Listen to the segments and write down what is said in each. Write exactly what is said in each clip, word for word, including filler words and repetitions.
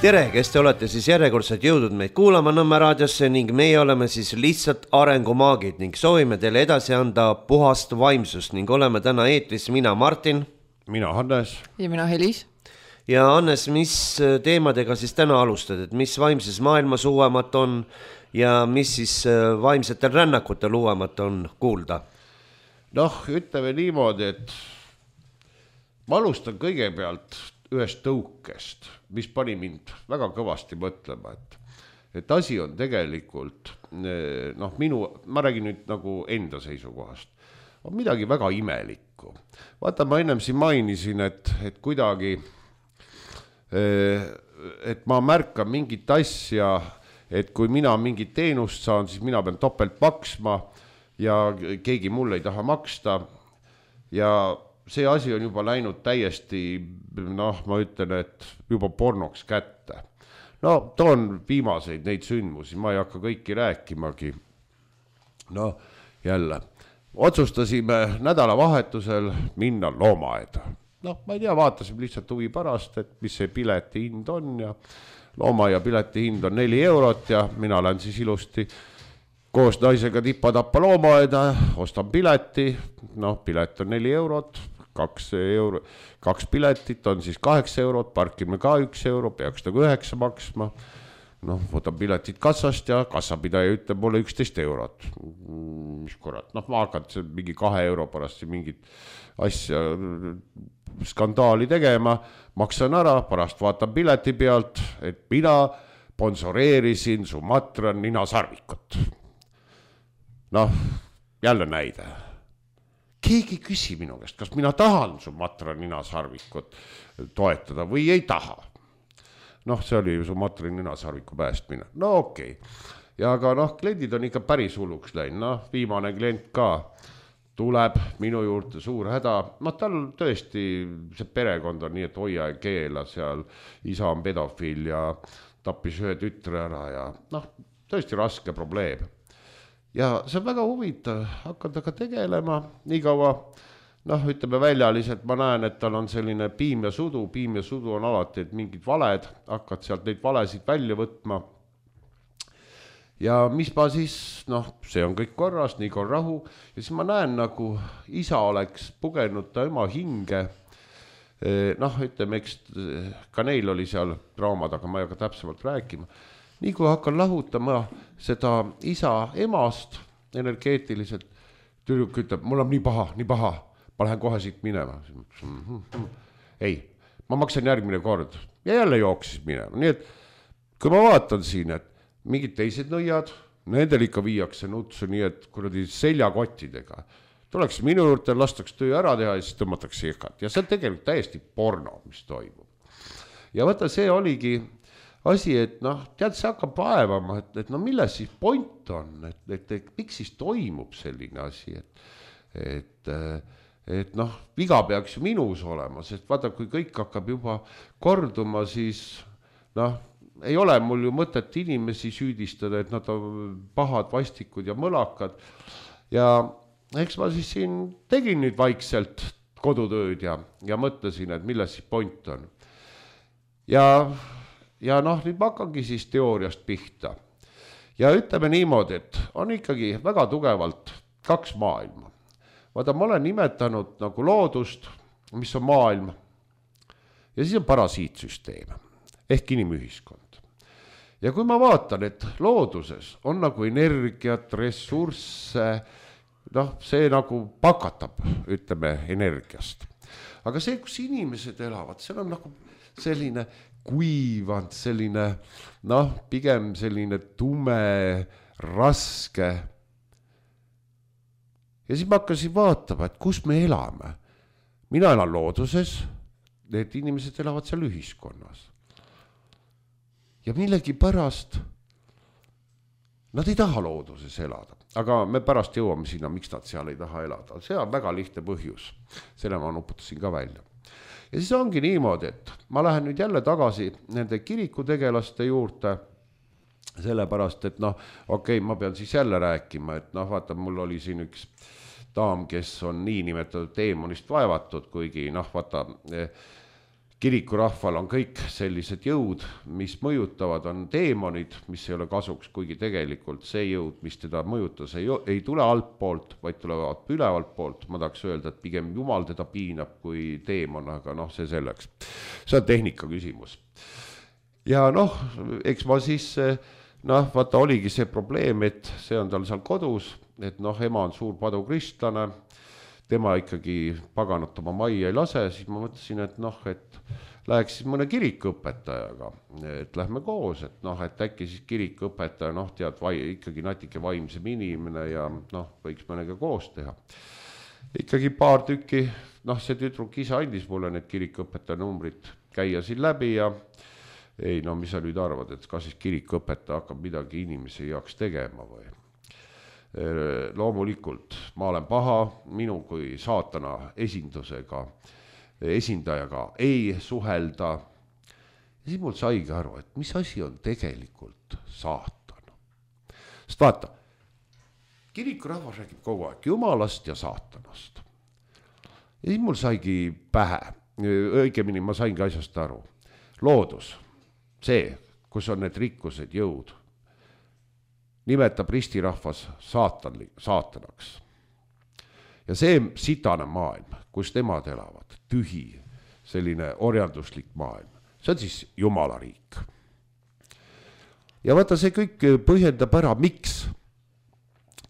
Tere, kes te olete siis järjekordselt jõudnud meid kuulama Nõmme raadiosse ning meie oleme siis lihtsalt arengumaagid ning soovime teile edasi anda puhast vaimsust ning oleme täna eetris mina Martin, mina Hannes ja mina Helis. Ja Hannes, mis teemadega siis täna alustad, et mis vaimses maailmas uuemat on ja mis siis vaimsetel rännakutel uuemat on kuulda? Noh, ütleme niimoodi, et ma alustan kõigepealt ühest tõukest, mis pani mind väga kõvasti mõtlema, et, et asi on tegelikult, noh, minu, ma räägin nüüd nagu enda seisukohast, on midagi väga imelikku. Vaata, ma ennem siin mainisin, et, et kuidagi, et ma märkan mingit asja, et kui mina mingit teenust saan, siis mina pean topelt maksma ja keegi mulle ei taha maksta ja see asi on juba läinud täiesti, noh, ma ütlen, et juba pornoks kätte. No, toon viimaseid neid sündmusi, ma ei hakka kõiki rääkimagi. No, jälle, otsustasime nädalavahetusel minna loomaaeda. Noh, ma ei tea, vaatasime lihtsalt huvi pärast, et mis see pileti hind on ja loomaaia pileti hind on neli eurot ja mina lähen siis ilusti koos naisega tippa-tappa loomaaeda, ostan pileti, noh, pilet on neli eurot, kaks, euro, kaks piletit on siis kaheksa eurot, parkime ka üks euro, peaks nagu üheksa maksma. Noh, võtan piletit kassast ja kassapidaja ütleb mulle üksteist eurot. Mis korrat, noh, ma hakkan mingi kahe euro pärast mingit asja skandaali tegema, maksan ära, pärast vaatan pileti pealt, et mina sponsoreerisin Sumatra ninasarvikut. Noh, jälle näide. Keegi küsi minu käest, kas mina tahan Sumatra ninasarvikut toetada või ei taha. Noh, see oli Sumatra ninasarviku päästmine. No okei. Okay. Ja aga noh, kliendid on ikka päris hulluks läinud. Noh, viimane klient ka tuleb minu juurde suur häda. No tal tõesti see perekond on nii, et hoia ja keela seal. Isa on pedofiil ja tappis ühe tütre ära ja noh, tõesti raske probleem. Ja see on väga huvitav, hakata ka tegelema, nii kaua, noh, ütleme väljaliselt, ma näen, et tal on selline piim ja sudu, piim ja sudu on alati, et mingid valed, hakkad sealt neid valesid välja võtma. Ja mis ma siis, noh, see on kõik korras, nii on rahu, ja siis ma näen, nagu isa oleks pugenud ta ema hinge, noh, ütleme, eks ka neil oli seal draamad, aga ma ei hakka täpsemalt rääkima. Nii kui hakkan lahutama seda isa emast energeetiliselt, tüdruk ütleb, mul on nii paha, nii paha, ma lähen kohe siit minema. Ei, ma maksan järgmine kord ja jälle jooksis minema. Nii et kui ma vaatan siin, et mingid teised nõiad, nendel ikka viiakse nutsu nii, et kuradi seljakottidega. Tuleks minu juurde, lastaks töö ära teha ja siis tõmmatakse jekat. Ja see on tegelikult täiesti porno, mis toimub. Ja võtta, see oligi asi, et noh, tead, see hakkab vaevama, et, et no milles siis point on, et, et, et miks siis toimub selline asi, et, et, et noh, viga peaks ju minus olema, sest vaata, kui kõik hakkab juba korduma, siis noh, ei ole mul ju mõtet inimesi süüdistada, et nad on pahad, vastikud ja mõlakad ja eks ma siis siin tegin nüüd vaikselt kodutööd ja, ja mõtlesin, et milles siis point on ja Ja noh, nüüd ma hakkangi siis teooriast pihta. Ja ütleme niimoodi, et on ikkagi väga tugevalt kaks maailma. Vaata, ma olen nimetanud nagu loodust, mis on maailm, ja siis on parasiitsüsteem, ehk inimühiskond. Ja kui ma vaatan, et looduses on nagu energiat, ressursse, noh, see nagu pakatab, ütleme, energiast. Aga see, kus inimesed elavad, seal on nagu selline kuivand, selline, noh, pigem selline tume, raske. Ja siis ma hakkasin vaatama, et kus me elame. Mina elan looduses, need inimesed elavad seal ühiskonnas. Ja millegi pärast nad ei taha looduses elada. Aga me pärast jõuame sinna, miks nad seal ei taha elada. See on väga lihtne põhjus. Selle ma nuputasin ka välja. Ja siis ongi niimoodi, et ma lähen nüüd jälle tagasi nende kirikutegelaste juurde, sellepärast, et noh, okei, okay, ma pean siis jälle rääkima, et noh, vaata, mul oli siin üks daam, kes on nii nimetatud teemonist vaevatud, kuigi noh, vaata, kirikurahval on kõik sellised jõud, mis mõjutavad, on teemonid, mis ei ole kasuks, kuigi tegelikult see jõud, mis teda mõjutas, ei, ei tule altpoolt, vaid tulevad ülevalt poolt. Ma tahaks öelda, et pigem Jumal teda piinab kui teemon, aga noh, see selleks. See on tehnika küsimus. Ja noh, eks ma siis, noh, vaata oligi see probleem, et see on tal seal kodus, et noh, ema on suur padukristlane, tema ikkagi paganat oma majja ei lase, siis ma mõtlesin, et noh, et läheks siis mõne kirikuõpetajaga, et lähme koos, et noh, et äkki siis kirikuõpetaja, noh, tead, vai, ikkagi natuke vaimsem inimene ja noh, võiks mõnega koos teha. Ikkagi paar tükki, noh, see tüdruk ise andis mulle need kirikuõpetaja numbrid käia siin läbi ja ei, no mis sa nüüd arvad, et kas siis kirikuõpetaja hakkab midagi inimese jaoks tegema või? Loomulikult ma olen paha, minu kui saatana esindusega, esindajaga ei suhelda. Ja siis mul saigi aru, et mis asi on tegelikult saatan. Sest vaata, kirikurahvas räägib kogu aeg Jumalast ja saatanast. Ja siis mul saigi pähe, õigemini ma saingi asjast aru. Loodus, see, kus on need rikkused, jõud, nimetab ristirahvas saatan, saatanaks. Ja see sitane maailm, kus nemad elavad, tühi, selline orjanduslik maailm, see on siis Jumala riik. Ja vaata, see kõik põhjendab ära, miks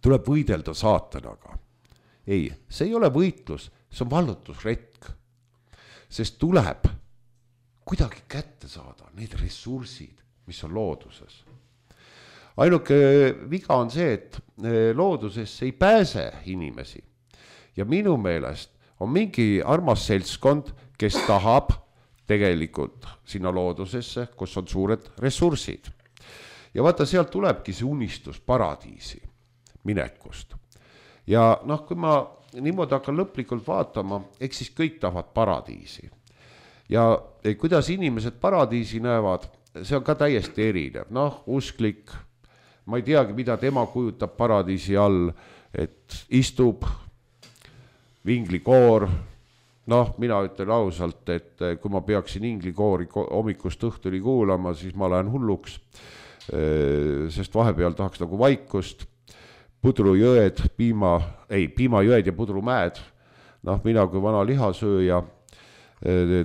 tuleb võidelda saatanaga. Ei, see ei ole võitlus, see on vallutusretk, sest tuleb kuidagi kätte saada need ressursid, mis on looduses. Ainuke viga on see, et loodusesse ei pääse inimesi ja minu meelest on mingi armas seltskond, kes tahab tegelikult sinna loodusesse, kus on suured ressursid. Ja vaata, sealt tulebki see unistus paradiisi minekust. Ja noh, kui ma niimoodi hakkan lõplikult vaatama, eks siis kõik tahavad paradiisi. Ja kuidas inimesed paradiisi näevad, see on ka täiesti erinev. Noh, usklik, ma ei teagi, mida tema kujutab paradiisi all, et istub vinglikoor. Noh, mina ütlen ausalt, et kui ma peaksin inglikoori hommikust õhtuni kuulama, siis ma lähen hulluks, sest vahepeal tahaks nagu vaikust. Pudrujõed, piima, ei, piimajõed ja pudrumäed. Noh, mina kui vana lihasööja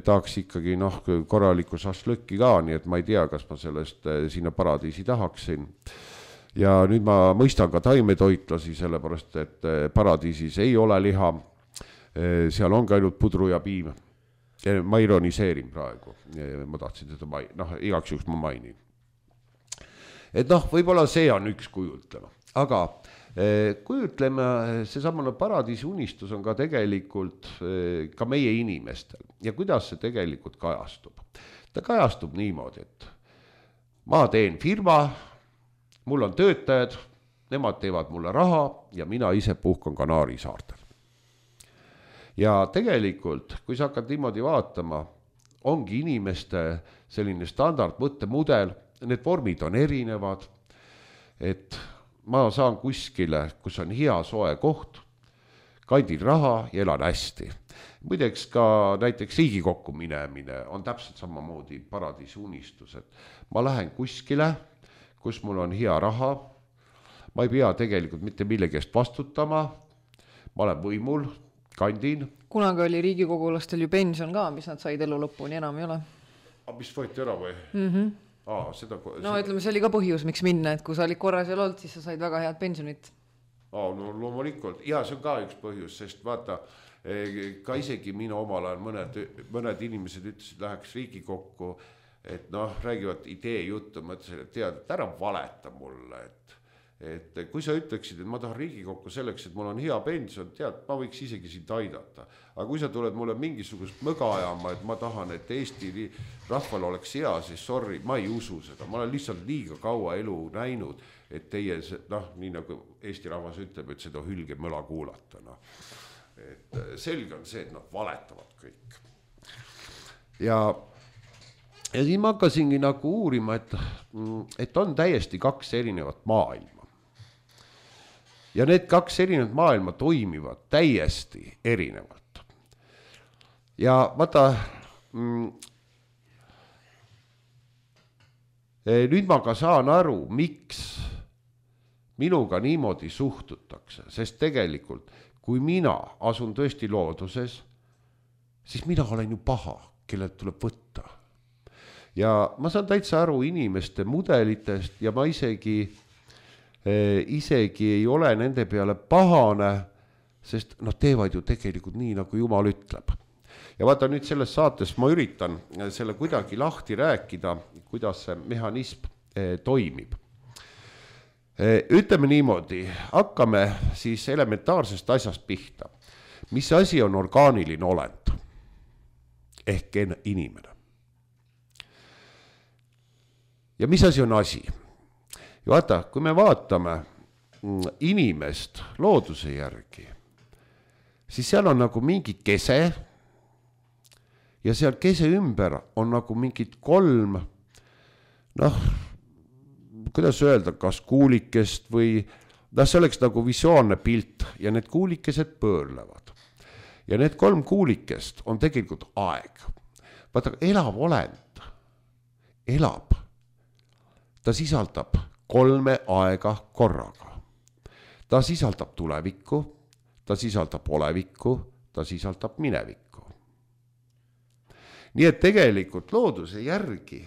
tahaks ikkagi noh, korraliku šašlõkki ka, nii et ma ei tea, kas ma sellest sinna paradiisi tahaksin. Ja nüüd ma mõistan ka taimetoitlasi, sellepärast, et paradiisis ei ole liha, seal on ka ainult pudru ja piim. Ma ironiseerin praegu, ma tahtsin seda main-, noh, igaks juhuks ma mainin. Et noh, võib-olla see on üks kujutlema, aga kujutleme, see samane paradiisi unistus on ka tegelikult ka meie inimestel ja kuidas see tegelikult kajastub. Ta kajastub niimoodi, et ma teen firma, mul on töötajad, nemad teevad mulle raha ja mina ise puhkan Kanaari saartel. Ja tegelikult, kui sa hakkad niimoodi vaatama, ongi inimeste selline standard mõttemudel, need vormid on erinevad, et ma saan kuskile, kus on hea soe koht, kandin raha ja elan hästi. Muideks ka näiteks Riigikokku minemine on täpselt samamoodi paradiisi unistus, et ma lähen kuskile, kus mul on hea raha, ma ei pea tegelikult mitte millegi eest vastutama, ma olen võimul, kandin. Kunagi oli riigikogulastel ju pension ka, mis nad said elu lõpuni, enam ei ole. A, mis võeti ära või? Mm-hmm. Aa, seda, no seda... ütleme, see oli ka põhjus, miks minna, et kui sa olid korras ja olnud, siis sa said väga head pensionit. Aa, no loomulikult. Ja see on ka üks põhjus, sest vaata, ka isegi minu omal ajal mõned, mõned inimesed ütlesid, läheks Riigikokku, et noh, räägivad idee juttu, mõtlesin, et tead, et ära valeta mulle, et et kui sa ütleksid, et ma tahan Riigikokku selleks, et mul on hea pension, tead, ma võiks isegi sind aidata. Aga kui sa tuled mulle mingisugust mõga ajama, et ma tahan, et Eesti rahval oleks hea, siis sorry, ma ei usu seda. Ma olen lihtsalt liiga kaua elu näinud, et teie, noh, nii nagu Eesti rahvas ütleb, et seda hülge möla kuulata. No. Et selge on see, et nad valetavad kõik. Ja, ja siis ma hakkasingi nagu uurima, et, et on täiesti kaks erinevat maailma. Ja need kaks erinevat maailma toimivad täiesti erinevalt. Ja vaata, nüüd ma ka saan aru, miks minuga niimoodi suhtutakse, sest tegelikult, kui mina asun tõesti looduses, siis mina olen ju paha, kellelt tuleb võtta. Ja ma saan täitsa aru inimeste mudelitest ja ma isegi, eh, isegi ei ole nende peale pahane, sest nad teevad ju tegelikult nii, nagu Jumal ütleb. Ja vaata nüüd selles saates ma üritan selle kuidagi lahti rääkida, kuidas see mehhanism eh, toimib. Ütleme niimoodi, hakkame siis elementaarsest asjast pihta. Mis asi on orgaaniline olend? Ehk inimene. Ja mis asi on asi? Ja vaata, kui me vaatame inimest looduse järgi, siis seal on nagu mingi kese ja seal kese ümber on nagu mingid kolm, noh, kuidas öelda, kas kuulikest või, noh, see oleks nagu visuaalne pilt ja need kuulikesed pöörlevad. Ja need kolm kuulikest on tegelikult aeg. Vaata, elav olend elab. Ta sisaldab kolme aega korraga. Ta sisaldab tulevikku, ta sisaldab olevikku, ta sisaldab minevikku. Nii et tegelikult looduse järgi,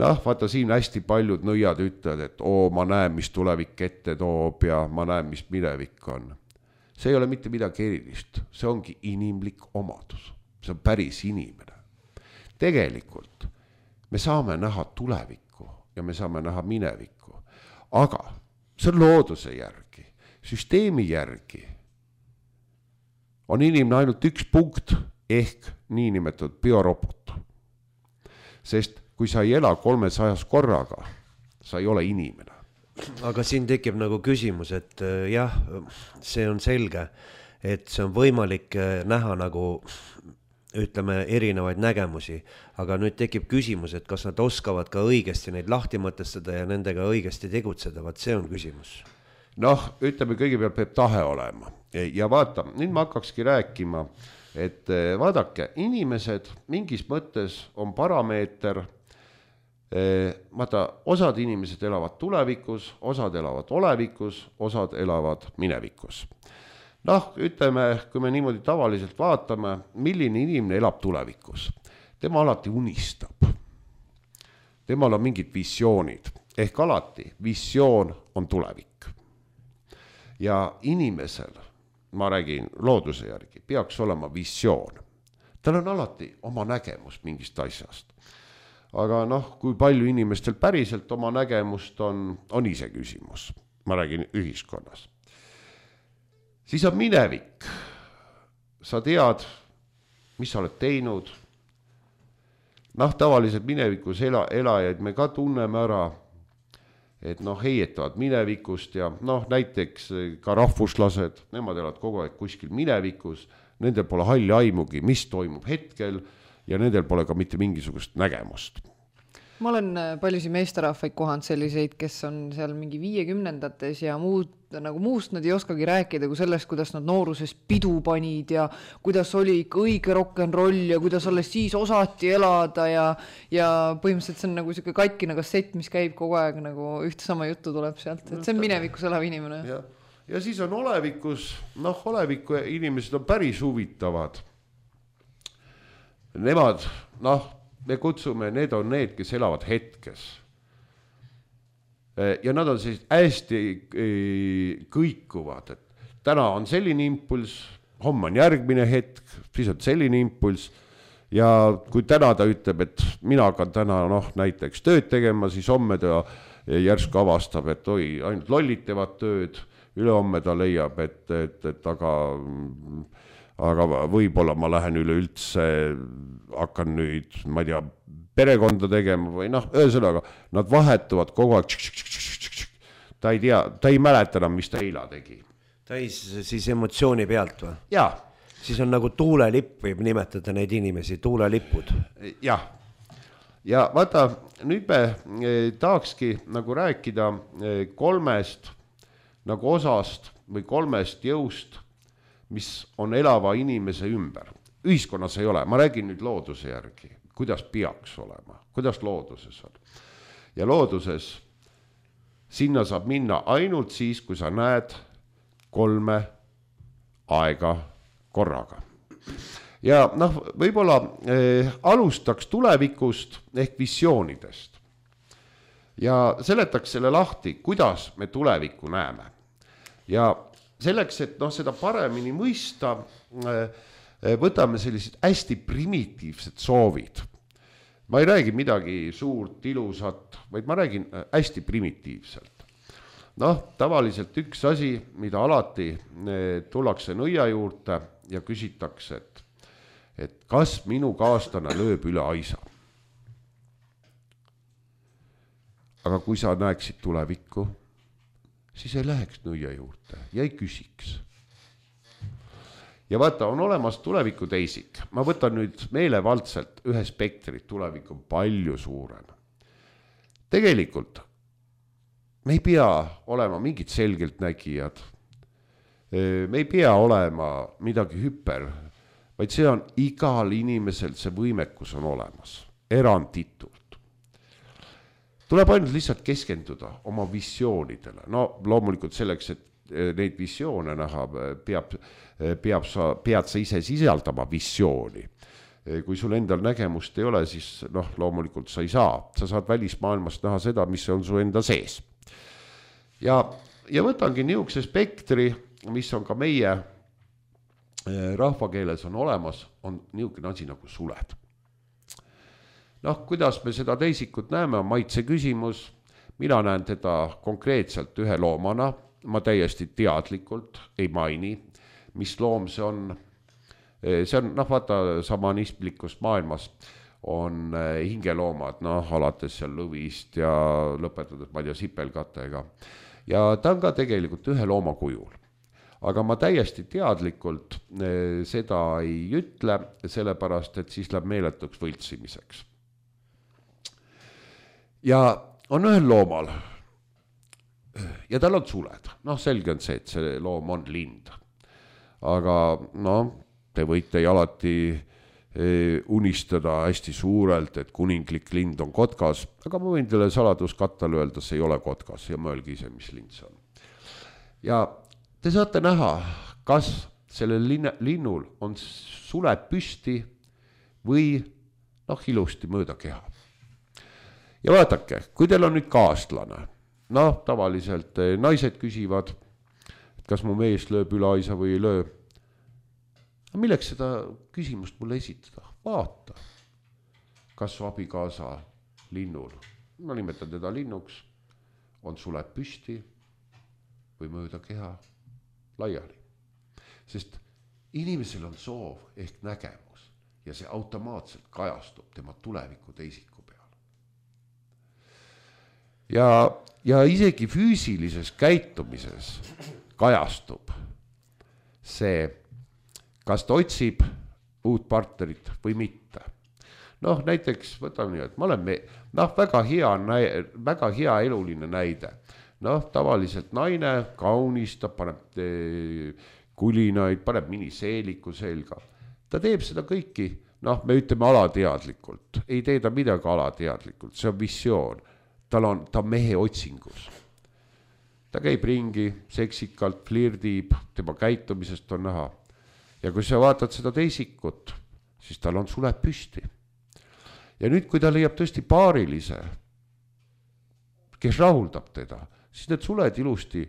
noh, vaata siin hästi paljud nõiad ütlevad, et oo, ma näen, mis tulevik ette toob ja ma näen, mis minevik on. See ei ole mitte midagi erilist, see ongi inimlik omadus, see on päris inimene. Tegelikult me saame näha tulevikku ja me saame näha minevikku, aga see on looduse järgi, süsteemi järgi on inimene ainult üks punkt ehk niinimetatud biorobot. Sest kui sa ei ela kolmesajas korraga, sa ei ole inimene. Aga siin tekib nagu küsimus, et jah, see on selge, et see on võimalik näha nagu, ütleme, erinevaid nägemusi, aga nüüd tekib küsimus, et kas nad oskavad ka õigesti neid lahti mõtestada ja nendega õigesti tegutseda, vaat see on küsimus. Noh, ütleme, kõigepealt peab tahe olema ja vaata, nüüd ma hakkakski rääkima, et vaadake, inimesed mingis mõttes on parameeter. Vaata, osad inimesed elavad tulevikus, osad elavad olevikus, osad elavad minevikus. Noh, ütleme, kui me niimoodi tavaliselt vaatame, milline inimene elab tulevikus. Tema alati unistab. Temal on mingid visioonid. Ehk alati visioon on tulevik. Ja inimesel, ma räägin looduse järgi, peaks olema visioon. Tal on alati oma nägemus mingist asjast. Aga noh, kui palju inimestel päriselt oma nägemust on, on ise küsimus. Ma räägin ühiskonnas. Siis on minevik. Sa tead, mis sa oled teinud. Noh, tavaliselt minevikus ela, elajaid me ka tunneme ära, et noh, heietavad minevikust ja noh, näiteks ka rahvuslased, nemad elavad kogu aeg kuskil minevikus, nendel pole halli aimugi, mis toimub hetkel, ja nendel pole ka mitte mingisugust nägemust. Ma olen paljusid meesterahvaid kohanud selliseid, kes on seal mingi viiekümnendates ja muud, nagu muust nad ei oskagi rääkida kui sellest, kuidas nad nooruses pidu panid ja kuidas oli ikka õige rock'n'roll ja kuidas alles siis osati elada ja, ja põhimõtteliselt see on nagu selline katkine kassett, mis käib kogu aeg nagu ühte sama juttu tuleb sealt, et see on minevikus elav inimene. Ja, ja siis on olevikus, noh, oleviku inimesed on päris huvitavad. Nemad, noh, me kutsume, need on need, kes elavad hetkes. Ja nad on siis hästi kõikuvad, et täna on selline impuls, homme on järgmine hetk, siis on selline impuls. Ja kui täna ta ütleb, et mina hakkan täna noh, näiteks tööd tegema, siis homme ta järsku avastab, et oi, ainult lollitevad tööd, ülehomme ta leiab, et, et, et aga... aga võib-olla ma lähen üleüldse, hakkan nüüd, ma ei tea, perekonda tegema või noh, ühesõnaga, nad vahetuvad kogu aeg, ta ei tea, ta ei mäleta enam, mis ta eila tegi. Täis siis emotsiooni pealt või? Jaa. Siis on nagu tuulelipp, võib nimetada neid inimesi, tuulelipud. Jah. Ja vaata, nüüd me tahakski nagu rääkida kolmest nagu osast või kolmest jõust, mis on elava inimese ümber. Ühiskonnas ei ole, ma räägin nüüd looduse järgi. kuidas peaks olema, kuidas looduses on. Ja looduses sinna saab minna ainult siis, kui sa näed kolme aega korraga. Ja noh, võib-olla eh, alustaks tulevikust ehk visioonidest. Ja seletaks selle lahti, kuidas me tulevikku näeme. Ja selleks, et noh, seda paremini mõista, eh, võtame sellised hästi primitiivsed soovid. Ma ei räägi midagi suurt, ilusat, vaid ma räägin hästi primitiivselt. Noh, tavaliselt üks asi, mida alati eh, tullakse nõia juurde ja küsitakse, et et kas minu kaaslane lööb üle aisa. Aga kui sa näeksid tulevikku, siis ei läheks nõia juurde ja ei küsiks. Ja vaata, on olemas tuleviku teisik. Ma võtan nüüd meelevaldselt ühe spektrit, tulevik on palju suurem. Tegelikult me ei pea olema mingid selgelt nägijad. Me ei pea olema midagi hüper, vaid see on igal inimesel, see võimekus on olemas, eranditult. Tuleb ainult lihtsalt keskenduda oma visioonidele. No loomulikult selleks, et neid visioone näha, peab, peab sa, pead sa ise sisaldama visiooni. Kui sul endal nägemust ei ole, siis noh, loomulikult sa ei saa. Sa saad välismaailmast näha seda, mis on su enda sees. Ja, ja võtangi niisuguse spektri, mis on ka meie rahvakeeles on olemas, on niisugune asi nagu suled. Noh, kuidas me seda teisikut näeme, on maitse küsimus. Mina näen teda konkreetselt ühe loomana, ma täiesti teadlikult ei maini, mis loom see on. See on, noh, vaata, samanismlikust maailmas on hingeloomad, noh, alates seal lõvist ja lõpetades, ma ei tea, sipelkatega. Ja ta on ka tegelikult ühe looma kujul. Aga ma täiesti teadlikult seda ei ütle, sellepärast, et siis läheb meeletuks võltsimiseks. Ja on ühel loomal ja tal on suled. Noh, selge on see, et see loom on lind. Aga noh, te võite alati unistada hästi suurelt, et kuninglik lind on kotkas, aga ma võin teile saladuskattal öelda, see ei ole kotkas ja mõelge ise, mis lind see on. Ja te saate näha, kas sellel linnul on suled püsti või noh, ilusti mööda keha. Ja vaadake, kui teil on nüüd kaaslane, noh, tavaliselt naised küsivad, kas mu mees lööb üle aisa või ei löö. Milleks seda küsimust mulle esitada? Vaata, kas su abikaasa linnul, ma nimetan teda linnuks, on suled püsti või mööda keha laiali. Sest inimesel on soov ehk nägemus ja see automaatselt kajastub tema tuleviku teisiku peal. Ja, ja isegi füüsilises käitumises kajastub see, kas ta otsib uut partnerit või mitte. Noh, näiteks võtame nii, et ma olen me, noh, väga hea, väga hea eluline näide. Noh, tavaliselt naine kaunistab, paneb kulinaid, paneb miniseeliku selga. Ta teeb seda kõiki, noh, me ütleme alateadlikult. Ei tee ta midagi alateadlikult, see on visioon. Tal on, ta mehe otsingus. Ta käib ringi, seksikalt, flirdib, tema käitumisest on näha. Ja kui sa vaatad seda teisikut, siis tal on suled püsti. Ja nüüd, kui ta leiab tõesti paarilise, kes rahuldab teda, siis need suled ilusti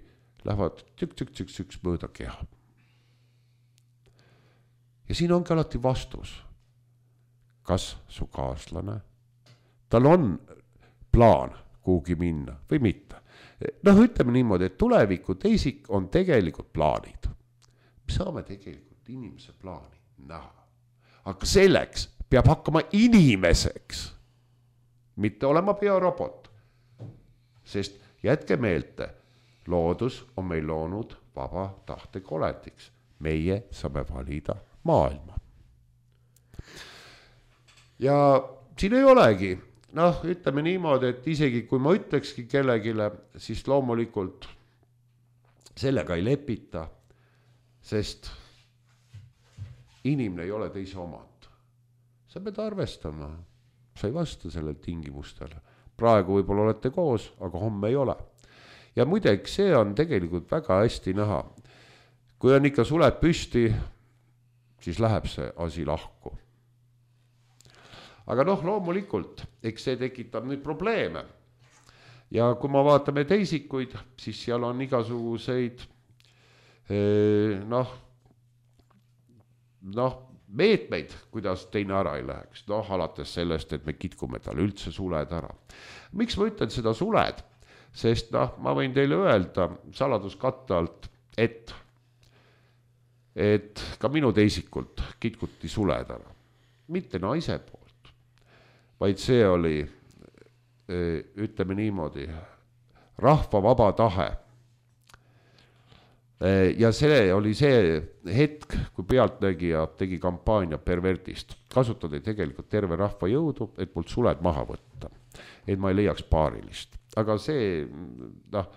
lähevad tükk-tükk-tükk mööda keha. Ja siin ongi alati vastus. Kas su kaaslane, tal on plaan kuhugi minna või mitte. Noh, ütleme niimoodi, et tuleviku teisik on tegelikult plaanid. Me saame tegelikult inimese plaani näha. Aga selleks peab hakkama inimeseks, mitte olema biorobot. Sest jätke meelde, loodus on meil loonud vaba tahte kolendiks. Meie saame valida maailma. Ja siin ei olegi, noh, ütleme niimoodi, et isegi kui ma ütlekski kellegile, siis loomulikult sellega ei lepita, sest inimene ei ole teise omand. Sa pead arvestama, sa ei vasta sellele tingimustele. Praegu võib-olla olete koos, aga homme ei ole. Ja muideks see on tegelikult väga hästi näha. Kui on ikka suled püsti, siis läheb see asi lahku. Aga noh, loomulikult, eks see tekitab nüüd probleeme. Ja kui ma vaatame teisikuid, siis seal on igasuguseid noh, noh, meetmeid, kuidas teine ära ei läheks. Noh, alates sellest, et me kitkume talle üldse suled ära. Miks ma ütlen seda suled? Sest noh, ma võin teile öelda saladuskatte alt, et, et ka minu teisikult kitkuti suled ära. Mitte naise poolt, vaid see oli, ütleme niimoodi, rahva vaba tahe. Ja see oli see hetk, kui pealtnägija tegi kampaania pervertist. Kasutati tegelikult terve rahva jõudu, et mult suled maha võtta. Et ma ei leiaks paarilist. Aga see, noh,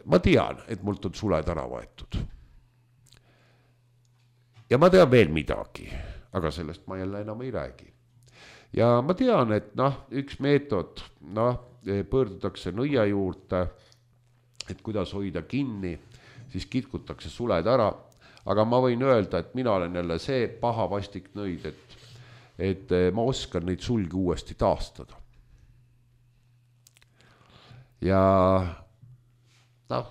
ma tean, et mult on suled ära võetud. Ja ma tean veel midagi, aga sellest ma jälle enam ei räägi. Ja ma tean, et noh, üks meetod, noh, pöördutakse nõia juurde, et kuidas hoida kinni, siis kitkutakse suled ära, aga ma võin öelda, et mina olen jälle see paha vastik nõid, et, et ma oskan neid sulgi uuesti taastada. Ja noh,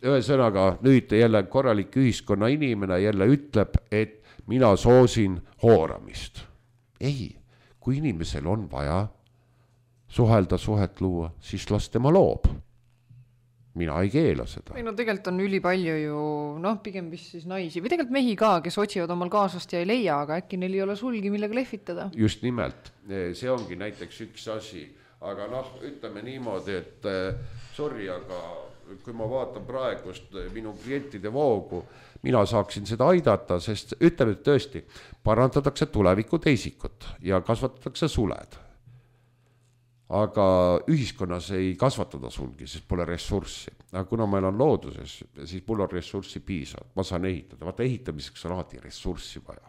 ühesõnaga nüüd jälle korralik ühiskonna inimene jälle ütleb, et mina soosin hooramist. Ei, kui inimesel on vaja suhelda, suhet luua, siis las tema loob. Mina ei keela seda. Ei, no tegelikult on üli palju ju, noh, pigem vist siis naisi, või tegelikult mehi ka, kes otsivad omal kaasast ja ei leia, aga äkki neil ei ole sulgi, millega lehvitada. Just nimelt, see ongi näiteks üks asi, aga noh, ütleme niimoodi, et sorry, aga kui ma vaatan praegust minu klientide voogu, mina saaksin seda aidata, sest ütleme tõesti, parandatakse tuleviku teisikut ja kasvatatakse suled. Aga ühiskonnas ei kasvatada sulgi, sest pole ressurssi. Aga kuna meil on looduses, siis mul on ressurssi piisavalt, ma saan ehitada. Vaata, ehitamiseks on alati ressurssi vaja.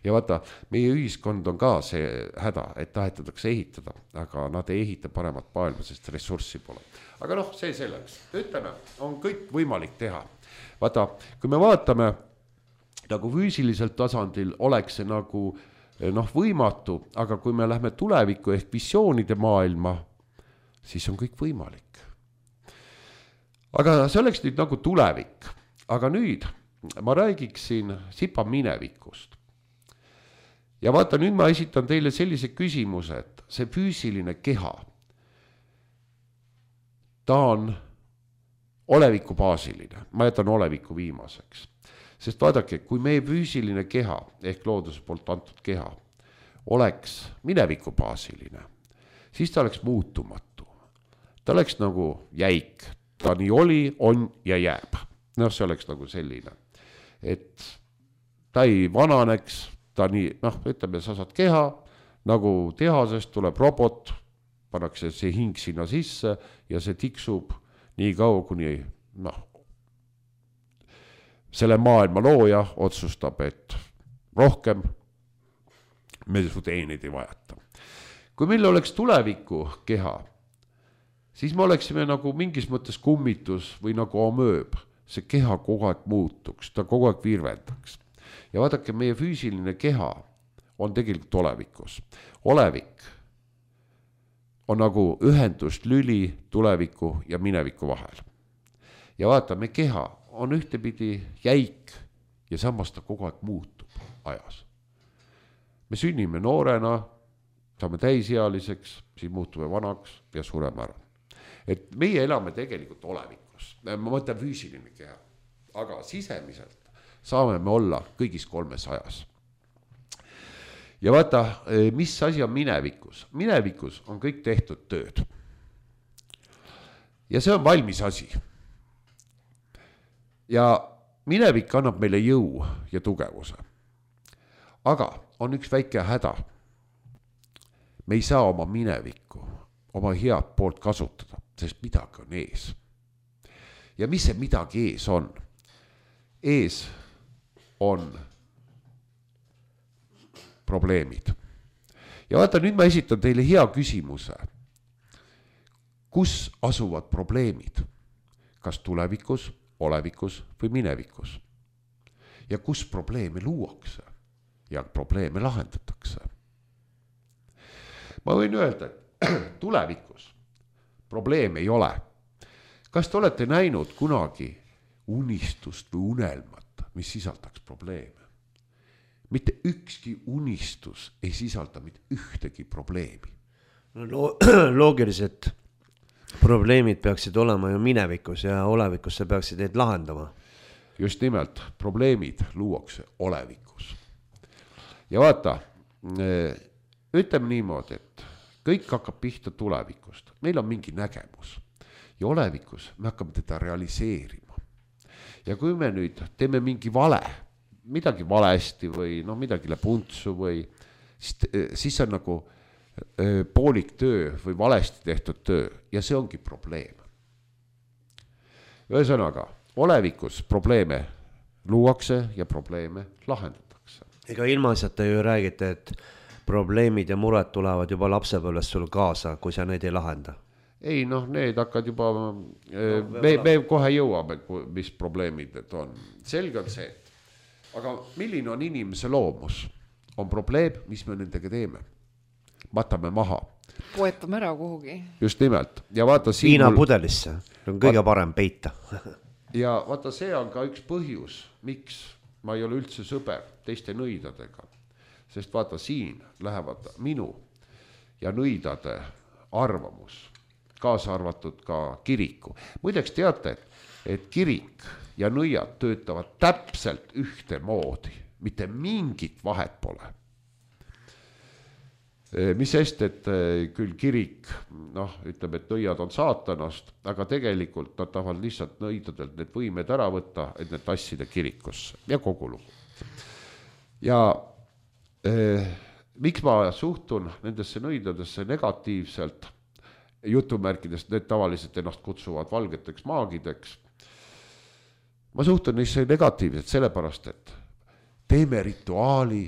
Ja vaata, meie ühiskond on ka see häda, et tahetatakse ehitada, aga nad ei ehita paremat maailma, sest ressurssi pole. Aga noh, see selleks. Ütleme, on kõik võimalik teha. Vaata, kui me vaatame, nagu füüsiliselt tasandil oleks see nagu noh, võimatu, aga kui me lähme tulevikku ehk visioonide maailma, siis on kõik võimalik. Aga see oleks nüüd nagu tulevik. Aga nüüd ma räägiksin sipa minevikust. Ja vaata, nüüd ma esitan teile sellise küsimuse, et see füüsiline keha, ta on oleviku baasiline. Ma jätan oleviku viimaseks. Sest vaadake, kui meie füüsiline keha ehk looduse poolt antud keha oleks mineviku baasiline, siis ta oleks muutumatu. Ta oleks nagu jäik. Ta nii oli, on ja jääb. Noh, see oleks nagu selline. Et ta ei vananeks, ta nii, noh, ütleme, sa saad keha, nagu tehasest tuleb robot, pannakse see hing sinna sisse ja see tiksub nii kaua, kuni noh, selle maailma looja otsustab, et rohkem me su teenid ei vajata. Kui meil oleks tuleviku keha, siis me oleksime nagu mingis mõttes kummitus või nagu omööb. See keha kogu aeg muutuks, ta kogu aeg virvendaks. Ja vaadake, meie füüsiline keha on tegelikult olevikus. Olevik on nagu ühendust lüli tuleviku ja mineviku vahel. Ja vaata, me keha on ühtepidi jäik ja samas ta kogu aeg muutub ajas. Me sünnime noorena, saame täisealiseks, siis muutume vanaks ja sureme ära. Et meie elame tegelikult olevikus. Ma mõtlen füüsiline keha, aga sisemiselt saame me olla kõigis kolmes ajas. Ja vaata, mis asi on minevikus? Minevikus on kõik tehtud tööd. Ja see on valmis asi. Ja minevik annab meile jõu ja tugevuse. Aga on üks väike häda. Me ei saa oma minevikku, oma head poolt kasutada, sest midagi on ees. Ja mis see midagi ees on? Ees on probleemid. ja vaata, nüüd ma esitan teile hea küsimuse. Kus asuvad probleemid? Kas tulevikus, olevikus või minevikus? Ja kus probleeme luuakse ja probleeme lahendatakse? Ma võin öelda, et tulevikus probleeme ei ole. Kas te olete näinud kunagi unistust või unelmat, mis sisaldaks probleeme? Mitte ükski unistus ei sisalda mitte ühtegi probleemi. No, loogiliselt probleemid peaksid olema ju minevikus ja olevikus sa peaksid neid lahendama. Just nimelt, probleemid luuakse olevikus. Ja vaata, ütleme niimoodi, et kõik hakkab pihta tulevikust. Meil on mingi nägemus ja olevikus me hakkame teda realiseerima. Ja kui me nüüd teeme mingi vale, midagi valesti või no midagi läheb untsu või siis, siis on nagu öö, poolik töö või valesti tehtud töö ja see ongi probleem. Ühesõnaga, olevikus probleeme luuakse ja probleeme lahendatakse. Ega ilmaasjata ju räägite, et probleemid ja mured tulevad juba lapsepõlvest sul kaasa, kui sa neid ei lahenda. Ei, noh, need hakkad juba, no, me, me kohe jõuame, mis probleemid need on. Selge on see, aga milline on inimese loomus? On probleem, mis me nendega teeme? Matame maha. Poetame ära kuhugi. Just nimelt. Ja vaata siin... Viina mul... pudelisse. On kõige parem peita. Ja vaata, see on ka üks põhjus, miks ma ei ole üldse sõber teiste nõidadega. Sest vaata, siin lähevad minu ja nõidade arvamus, kaasa arvatud ka kiriku. Muideks teate, et kirik ja nõiad töötavad täpselt ühte moodi, mitte mingit vahet pole. Mis sest, et küll kirik, noh, ütleb, et nõiad on saatanast, aga tegelikult nad tahavad lihtsalt nõidadelt need võimed ära võtta, et need tassida kirikusse ja kogu lugu. Ja eh, miks ma suhtun nendesse nõidadesse negatiivselt, jutumärkidest need tavaliselt ennast kutsuvad valgeteks maagideks, ma suhtun neisse negatiivselt sellepärast, et teeme rituaali,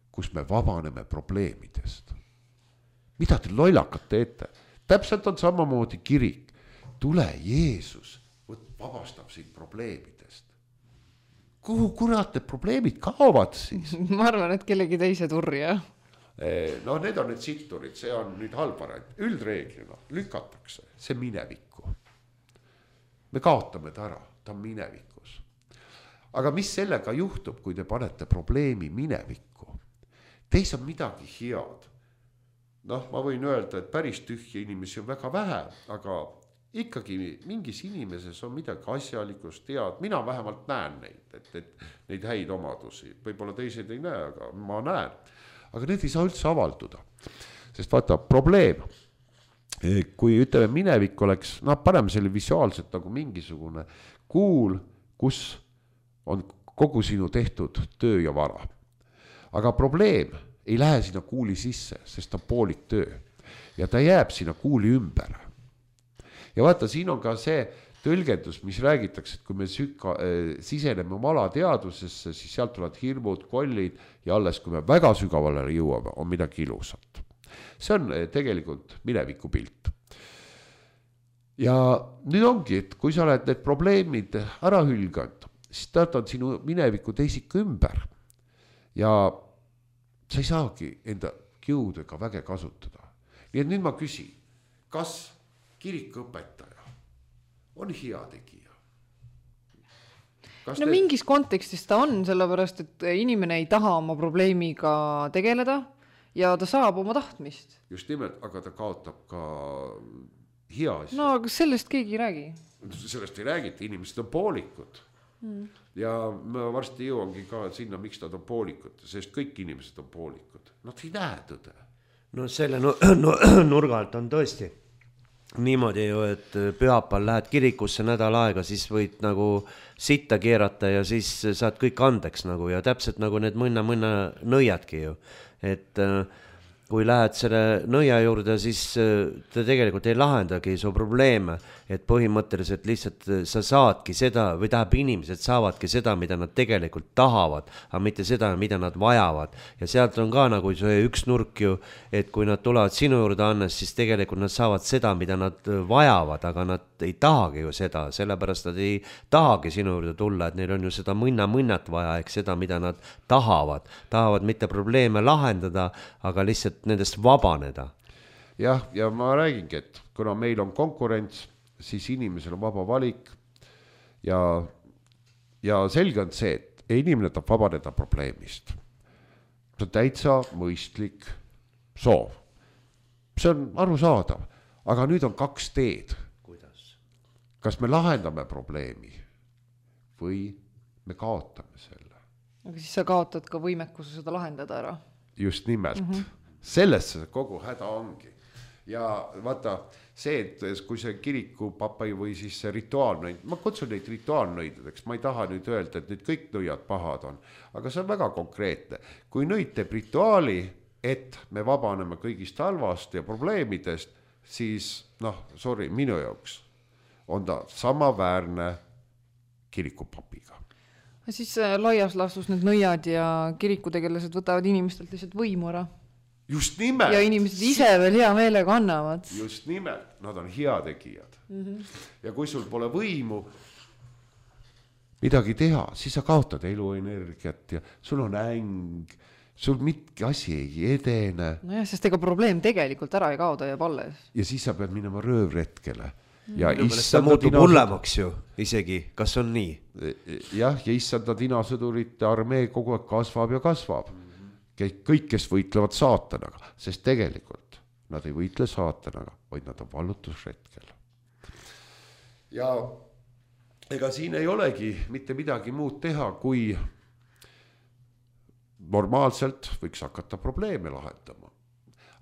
kus me vabaneme probleemidest. Mida te lollakat teete? Täpselt on samamoodi kirik. Tule Jeesus, vabastab sind probleemidest. Kuhu kurat need probleemid kaovad siis? Ma arvan, et kellegi teise turja. No need on need sitturid, see on nüüd halbarand. Üldreeglina lükatakse see minevikku. Me kaotame ta ära, ta on minevikus. Aga mis sellega juhtub, kui te panete probleemi minevikku? Teis on midagi head. Noh, ma võin öelda, et päris tühja inimesi on väga vähe, aga ikkagi mingis inimeses on midagi asjalikust tead. Mina vähemalt näen neid, et, et neid häid omadusi. Võib-olla teised ei näe, aga ma näen. Aga need ei saa üldse avalduda. Sest vaata, probleem, kui ütleme minevik oleks, no paneme selle visuaalselt nagu mingisugune kuul, kus on kogu sinu tehtud töö ja vara. Aga probleem ei lähe sinna kuuli sisse, sest ta on poolik töö. Ja ta jääb sinna kuuli ümber. Ja vaata, siin on ka see tõlgendus, mis räägitakse, et kui me süka, äh, siseneme oma alateadusesse, siis sealt tulevad hirmud, kollid ja alles, kui me väga sügavale jõuame, on midagi ilusat. See on äh, tegelikult mineviku pilt. Ja nüüd ongi, et kui sa oled need probleemid ära hülganud, siis ta on sinu mineviku teisik ümber. Ja sa ei saagi enda jõudega väge kasutada. Nii et nüüd ma küsin, kas kirikuõpetaja on hea tegija? Kas no te... mingis kontekstis ta on, sellepärast, et inimene ei taha oma probleemiga tegeleda ja ta saab oma tahtmist. Just nimelt, aga ta kaotab ka hea asja. No, aga sellest keegi ei räägi. Sellest ei räägita, inimesed on poolikud. Hmm. Ja ma varsti jõuangi ka sinna, miks nad on poolikud, sest kõik inimesed on poolikud. Nad ei näe tõde. No selle no, no, nurga alt on tõesti niimoodi ju, et pühapäeval lähed kirikusse nädal aega, siis võid nagu sitta keerata ja siis saad kõik andeks nagu ja täpselt nagu need mõnna-mõnna nõiadki ju. Et kui lähed selle nõia juurde, siis ta tegelikult ei lahendagi su probleeme, et põhimõtteliselt lihtsalt sa saadki seda või tähendab inimesed saavadki seda, mida nad tegelikult tahavad, aga mitte seda, mida nad vajavad. Ja sealt on ka nagu see üks nurk ju, et kui nad tulevad sinu juurde Hannes, siis tegelikult nad saavad seda, mida nad vajavad, aga nad ei tahagi ju seda, sellepärast nad ei tahagi sinu juurde tulla, et neil on ju seda mõnna-mõnnat vaja, ehk seda, mida nad tahavad. Tahavad mitte probleeme lahendada, aga lihtsalt nendest vabaneda. Jah, ja ma räägingi, et kuna meil on konkurents, siis inimesel on vaba valik ja, ja selge on see, et inimene tahab vabaneda probleemist. See on täitsa mõistlik soov. See on arusaadav, aga nüüd on kaks teed. Kuidas? Kas me lahendame probleemi või me kaotame selle? Aga siis sa kaotad ka võimekuse seda lahendada ära. Just nimelt. Mm-hmm. Sellesse kogu häda ongi. Ja vaata see, et kui see kiriku papai või siis see rituaalnõid, ma kutsun neid rituaalnõidudeks, ma ei taha nüüd öelda, et nüüd kõik nõiad pahad on, aga see on väga konkreetne. Kui nõid teeb rituaali, et me vabaneme kõigist halvast ja probleemidest, siis noh, sorry, minu jaoks on ta samaväärne kirikupapiga. Siis laias laastus need nõiad ja kirikutegelased võtavad inimestelt lihtsalt võimu ära. Just nimelt. Ja inimesed ise veel hea meelega annavad. Just nimelt, nad on heategijad. Mm-hmm. Ja kui sul pole võimu midagi teha, siis sa kaotad eluenergiat ja sul on äng, sul mitki asi ei edene. No jah, sest ega probleem tegelikult ära ei kaoda jääb alles. Ja siis sa pead minema röövretkele. Ja mm. issanda muutub dinasõdur... hullemaks ju isegi, kas on nii? Jah, ja issanda dinasõdurite armee kogu aeg kasvab ja kasvab. Kõik, kes võitlevad saatanaga, sest tegelikult nad ei võitle saatanaga, vaid nad on vallutusretkel. Ja ega siin ei olegi mitte midagi muud teha, kui normaalselt võiks hakata probleeme lahendama.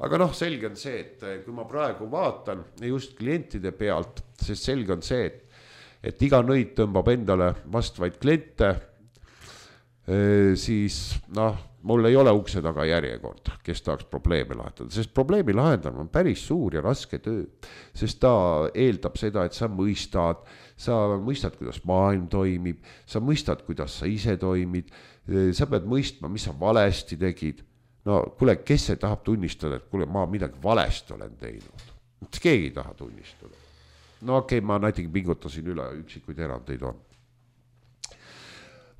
Aga noh, selge on see, et kui ma praegu vaatan just klientide pealt, sest selge on see, et, et iga nõid tõmbab endale vastvaid kliente, siis noh, mul ei ole ukse taga järjekord, kes tahaks probleeme lahendada, sest probleemi lahendamine on päris suur ja raske töö, sest ta eeldab seda, et sa mõistad, sa mõistad, kuidas maailm toimib, sa mõistad, kuidas sa ise toimid, sa pead mõistma, mis sa valesti tegid. No kuule, kes see tahab tunnistada, et kuule, ma midagi valesti olen teinud? Keegi ei taha tunnistada. No okei, okay, ma näiteks pingutasin üle, üksikuid erandeid on.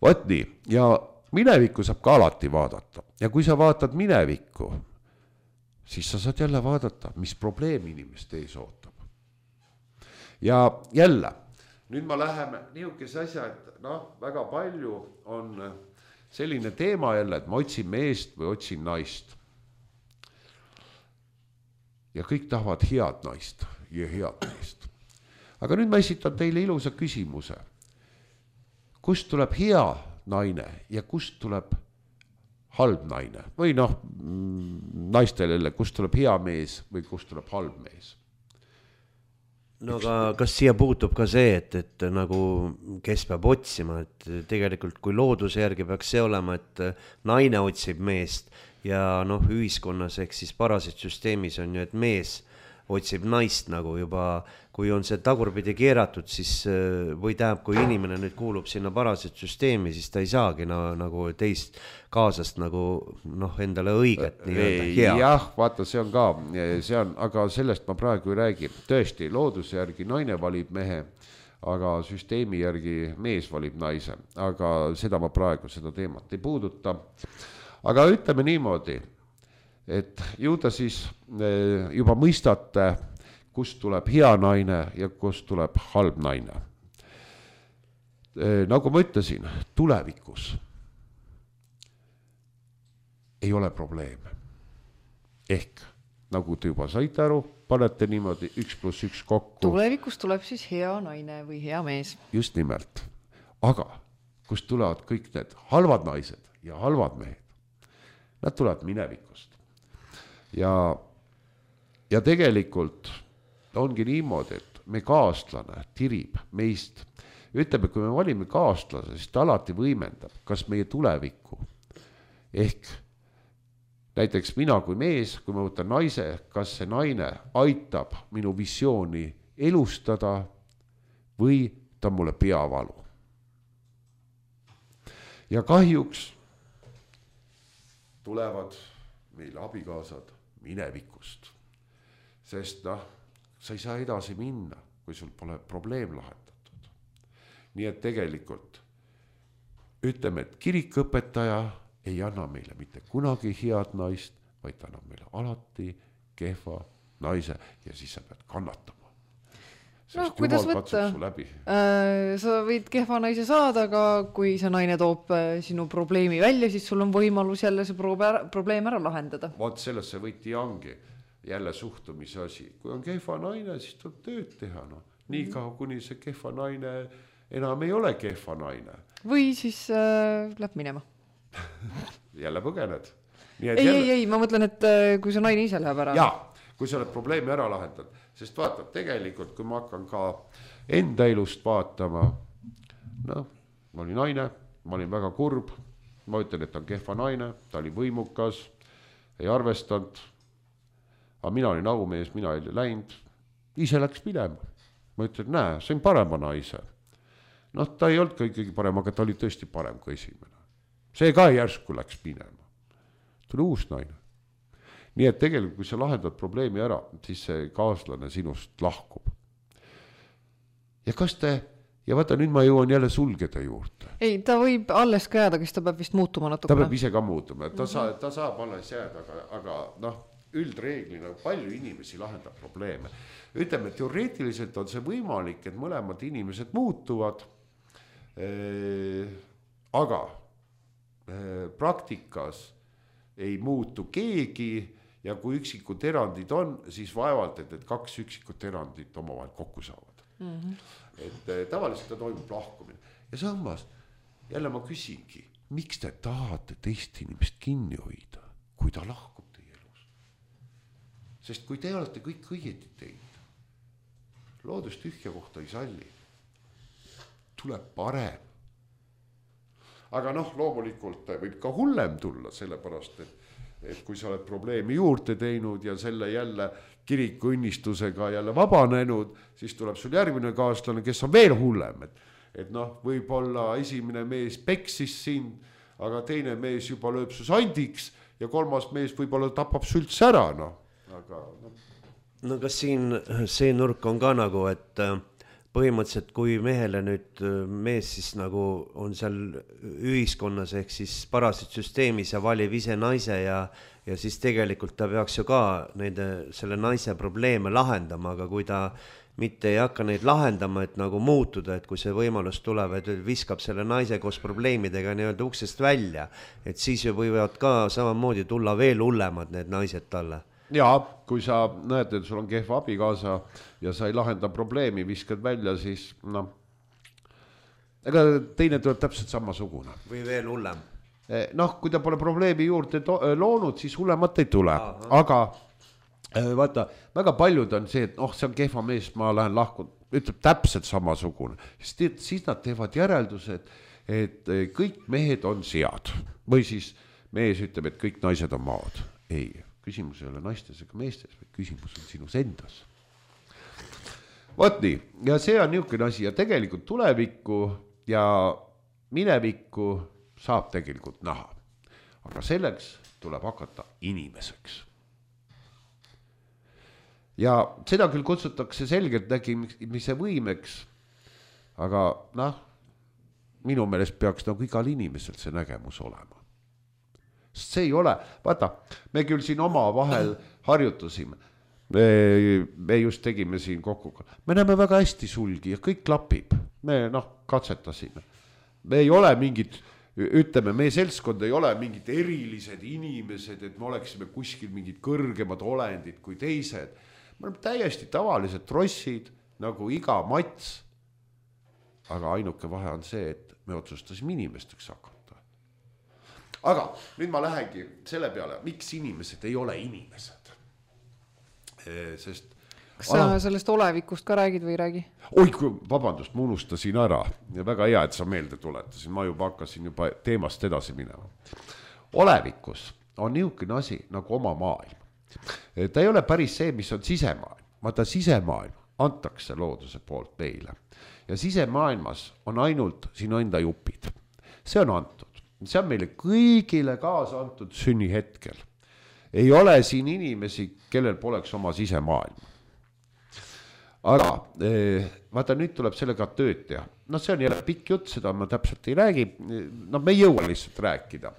Võt nii, ja minevikku saab ka alati vaadata. Ja kui sa vaatad minevikku, siis sa saad jälle vaadata, mis probleem inimest ees ootab. Ja jälle, nüüd ma läheme niisuguse asja, et noh, väga palju on selline teema jälle, et ma otsin meest või otsin naist. Ja kõik tahavad head naist ja head meest. Aga nüüd ma esitan teile ilusa küsimuse. Kust tuleb hea naine ja kust tuleb halb naine? Või noh, naistele, kust tuleb hea mees või kust tuleb halb mees? No aga kas siia puutub ka see, et, et nagu kes peab otsima, et tegelikult kui looduse järgi peaks see olema, et naine otsib meest ja noh, ühiskonnas ehk siis parasitsüsteemis on ju, et mees otsib naist nagu juba, kui on see tagurpidi keeratud, siis või tähendab, kui inimene nüüd kuulub sinna parasitsüsteemi, siis ta ei saagi na, nagu teist kaasast nagu noh, endale õiget nii-öelda hea. Jah, vaata, see on ka, see on, aga sellest ma praegu ei räägi. Tõesti, looduse järgi naine valib mehe, aga süsteemi järgi mees valib naise. Aga seda ma praegu seda teemat ei puuduta. Aga ütleme niimoodi, et ju ta siis juba mõistate, kust tuleb hea naine ja kust tuleb halb naine. Nagu ma ütlesin, tulevikus ei ole probleeme. Ehk, nagu te juba saite aru, panete niimoodi üks pluss üks kokku. Tulevikus tuleb siis hea naine või hea mees. Just nimelt. Aga kust tulevad kõik need halvad naised ja halvad mehed? Nad tulevad minevikust. Ja, ja tegelikult ongi niimoodi, et me kaaslane tirib meist. Ütleme, kui me valime kaaslase, siis ta alati võimendab, kas meie tulevikku ehk näiteks mina kui mees, kui ma võtan naise, kas see naine aitab minu visiooni elustada või ta mulle peavalu. Ja kahjuks tulevad meil abikaasad minevikust, sest noh, sa ei saa edasi minna, kui sul pole probleem lahendatud. Nii et tegelikult ütleme, et kirikõpetaja ei anna meile mitte kunagi head naist, vaid ta annab meile alati kehva naise ja siis sa pead kannatama. No, kuidas võtta? Äh, sa võid kehva naise saada, aga kui see naine toob sinu probleemi välja, siis sul on võimalus jälle see probleem ära lahendada. Vaat selles see võti ongi jälle suhtumise asi. Kui on kehva naine, siis tuleb tööd teha. No. Nii kaua, kuni see kehva naine enam ei ole kehva naine. Või siis äh, läheb minema. jälle põgened. Nii et ei, jälle... ei, ei, ma mõtlen, et kui see naine ise läheb ära. Jaa, kui sa oled probleemi ära lahendad, sest vaata, tegelikult kui ma hakkan ka enda elust vaatama, noh, ma olin naine, ma olin väga kurb, ma ütlen, et ta on kehva naine, ta oli võimukas, ei arvestanud, aga mina olin aumees, mina ei läinud, ise läks minema. Ma ütlen, näe, see on parema naise. Noh, ta ei olnud ka ikkagi parem, aga ta oli tõesti parem kui esimene. See ka järsku läks minema. Tuli uus naine. Nii et tegelikult, kui sa lahendad probleemi ära, siis see kaaslane sinust lahkub. Ja kas te, ja vaata, nüüd ma jõuan jälle sulgeda juurde. Ei, ta võib alles ka jääda, kes ta peab vist muutuma natukene. Ta peab ise ka muutuma, ta, sa, ta saab alles jääda, aga, aga noh, üldreeglina palju inimesi lahendab probleeme. Ütleme, teoreetiliselt on see võimalik, et mõlemad inimesed muutuvad, aga praktikas ei muutu keegi ja kui üksikud erandid on, siis vaevalt, et, et kaks üksikut erandit omavahel kokku saavad. Mm-hmm. Et tavaliselt ta toimub lahkumine. Ja samas, jälle ma küsingi, miks te tahate teist inimest kinni hoida, kui ta lahkub teie elus? Sest kui te olete kõik õieti teinud, loodus tühja kohta ei salli, tuleb parem. Aga noh, loomulikult võib ka hullem tulla, sellepärast, et, et kui sa oled probleemi juurde teinud ja selle jälle kiriku õnnistusega jälle vabanenud, siis tuleb sul järgmine kaaslane, kes on veel hullem. Et, et noh, võib-olla esimene mees peksis sind, aga teine mees juba lööb su sandiks ja kolmas mees võib-olla tapab su üldse ära. No. Aga, no. no kas siin see nurk on ka nagu, et põhimõtteliselt kui mehele nüüd mees siis nagu on seal ühiskonnas ehk siis parasitsüsteemis ja valib ise naise ja, ja siis tegelikult ta peaks ju ka nende, selle naise probleeme lahendama, aga kui ta mitte ei hakka neid lahendama, et nagu muutuda, et kui see võimalus tuleb, et viskab selle naise koos probleemidega nii-öelda uksest välja, et siis ju võivad ka samamoodi tulla veel hullemad need naised talle. Jaa, kui sa näed, et sul on kehva abikaasa ja sa ei lahenda probleemi, viskad välja, siis noh, ega teine tuleb täpselt samasugune. Või veel hullem. Noh, kui ta pole probleemi juurde to- loonud, siis hullemat ei tule. Aha. Aga vaata, väga paljud on see, et oh, see on kehva mees, ma lähen lahkun, ütleb täpselt samasugune. Siis nad teevad järeldused, et kõik mehed on sead. Või siis mees ütleb, et kõik naised on maad. Ei. Küsimus ei ole naistes ega meestes, vaid küsimus on sinus endas. Võt nii, ja see on niisugune asi ja tegelikult tulevikku ja minevikku saab tegelikult näha. Aga selleks tuleb hakata inimeseks. Ja seda küll kutsutakse selgelt nägimise võimeks, aga noh, minu meelest peaks nagu igal inimesel see nägemus olema. See ei ole, vaata, me küll siin oma vahel harjutusime, me, me just tegime siin kokku, me näeme väga hästi sulgi ja kõik klapib, me noh, katsetasime. Me ei ole mingid, ütleme, meie seltskond ei ole mingid erilised inimesed, et me oleksime kuskil mingid kõrgemad olendid kui teised. Me oleme täiesti tavalised trossid, nagu iga mats, aga ainuke vahe on see, et me otsustasime inimesteks hakata. Aga nüüd ma lähengi selle peale, miks inimesed ei ole inimesed. Sest, kas sa ah, sellest olevikust ka räägid või räägi? Oi, kui, vabandust, ma unustasin ära. Ja väga hea, et sa meelde tuletasin. Ma juba hakkasin juba teemast edasi minema. Olevikus on niisugune asi nagu oma maailm. Ta ei ole päris see, mis on sisemaailm, vaata sisemaailm antakse looduse poolt meile ja sisemaailmas on ainult sinu enda jupid. See on antud, see on meile kõigile kaasa antud sünnihetkel. Ei ole siin inimesi, kellel poleks oma sisemaailm. Aga vaata, nüüd tuleb sellega tööd teha. No see on jälle pikk jutt, seda ma täpselt ei räägi. No me ei jõua lihtsalt rääkida.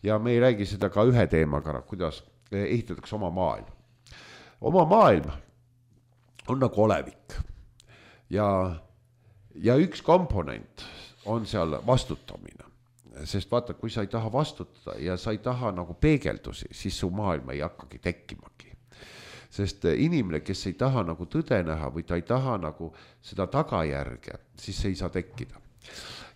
Ja me ei räägi seda ka ühe teemaga, kuidas ehitatakse oma maailm. Oma maailm on nagu olevik. Ja, ja üks komponent on seal vastutamine. Sest vaata, kui sa ei taha vastutada ja sa ei taha nagu peegeldusi, siis su maailm ei hakkagi tekkimagi. Sest inimene, kes ei taha nagu tõde näha või ta ei taha nagu seda tagajärge, siis see ei saa tekkida.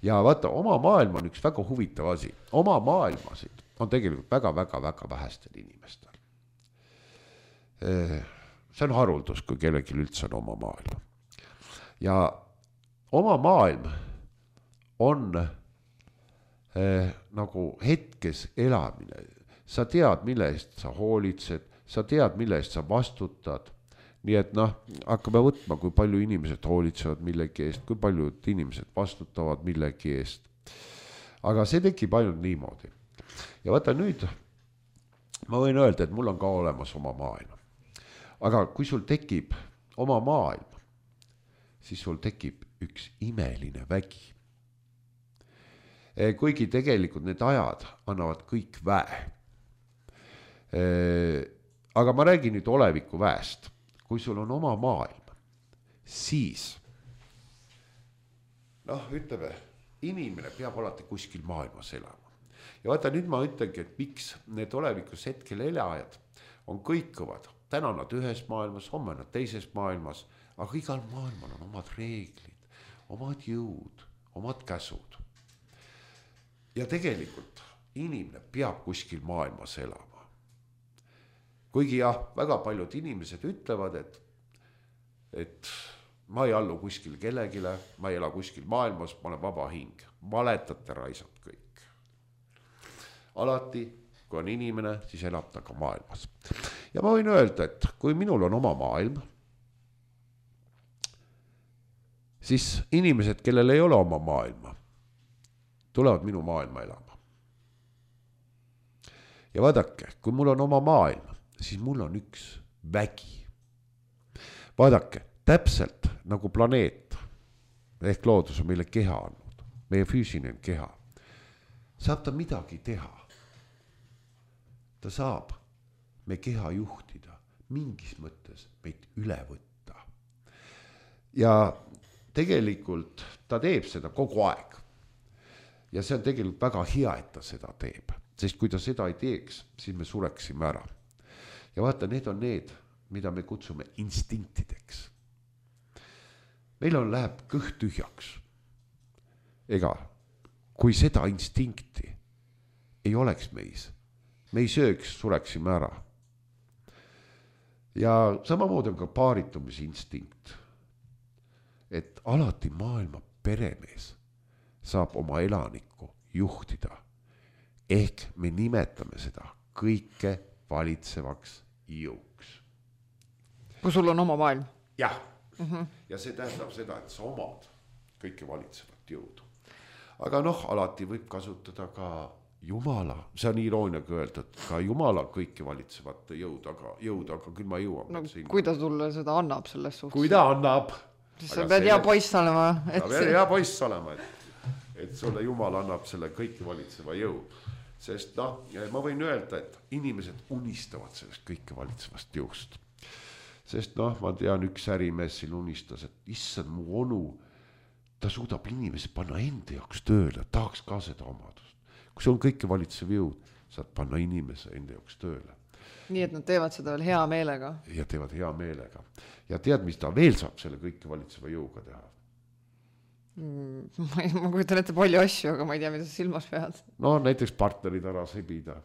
Ja vaata, oma maailm on üks väga huvitav asi. Oma maailmasid on tegelikult väga-väga-väga vähestel inimestel. See on haruldus, kui kellelgi üldse on oma maailm. Ja oma maailm on eh, nagu hetkes elamine. Sa tead, mille eest sa hoolitsed, sa tead, mille eest sa vastutad. Nii et noh, hakkame võtma, kui palju inimesed hoolitsevad millegi eest, kui paljud inimesed vastutavad millegi eest. Aga see tekib ainult niimoodi. Ja vaata nüüd, ma võin öelda, et mul on ka olemas oma maailm. Aga kui sul tekib oma maailm, siis sul tekib üks imeline vägi. Kuigi tegelikult need ajad annavad kõik väe. Aga ma räägin nüüd oleviku väest. Kui sul on oma maailm, siis noh, ütleme, inimene peab alati kuskil maailmas elama. Ja vaata, nüüd ma ütlengi, et miks need olevikus hetkel elajad on kõikuvad. Täna nad ühes maailmas, homme nad teises maailmas, aga igal maailmal on omad reeglid, omad jõud, omad käsud. Ja tegelikult inimene peab kuskil maailmas elama. Kuigi jah, väga paljud inimesed ütlevad, et, et ma ei allu kuskil kellegile, ma ei ela kuskil maailmas, ma olen vaba hing. Valetate raisad kõik. Alati, kui on inimene, siis elab ta ka maailmas. Ja ma võin öelda, et kui minul on oma maailm, siis inimesed, kellel ei ole oma maailma, tulevad minu maailma elama. Ja vaadake, kui mul on oma maailm, siis mul on üks vägi. Vaadake, täpselt nagu planeet, ehk loodus on meile keha andnud, meie füüsiline keha. Saab ta midagi teha. Ta saab me keha juhtida, mingis mõttes meid üle võtta. Ja tegelikult ta teeb seda kogu aeg. Ja see on tegelikult väga hea, et ta seda teeb. Sest kui ta seda ei teeks, siis me sureksime ära. Ja vaata, need on need, mida me kutsume instinktideks. Meil on läheb kõht tühjaks. Ega, kui seda instinkti ei oleks meis, me ei sööks, sureksime ära. Ja samamoodi on ka paaritumise instinkt. Et alati maailma peremees saab oma elanikku juhtida. Ehk me nimetame seda kõike valitsevaks jõuks. Kui sul on oma maailm? Jah. Mm-hmm. Ja see tähendab seda, et sa omad kõike valitsevat jõudu. Aga noh, alati võib kasutada ka Jumala, see on irooniaga öelda, et ka Jumala kõike valitsevat jõud, aga, jõud, aga küll ma jõuan. No, kui ta sulle seda annab selles suhtes? Kui ta annab. Siis sa pead hea poiss olema. Et sa pead hea poiss olema, et, et sulle Jumal annab selle kõike valitseva jõud. Sest noh, ma võin öelda, et inimesed unistavad sellest kõike valitsevast jõust. Sest noh, ma tean, üks ärimees siin unistas, et issand mu onu, ta suudab inimesi panna enda jaoks tööle, tahaks ka seda omadust. Kui see on kõike valitsev jõud, saad panna inimese enda jaoks tööle. Nii, et nad teevad seda veel hea meelega. Ja teevad hea meelega. Ja tead, mis ta veel saab selle kõike valitseva jõuga teha? Ma, ma kujutan ette palju asju, aga ma ei tea, mida sa silmas pead. No näiteks partnerid ära sebida.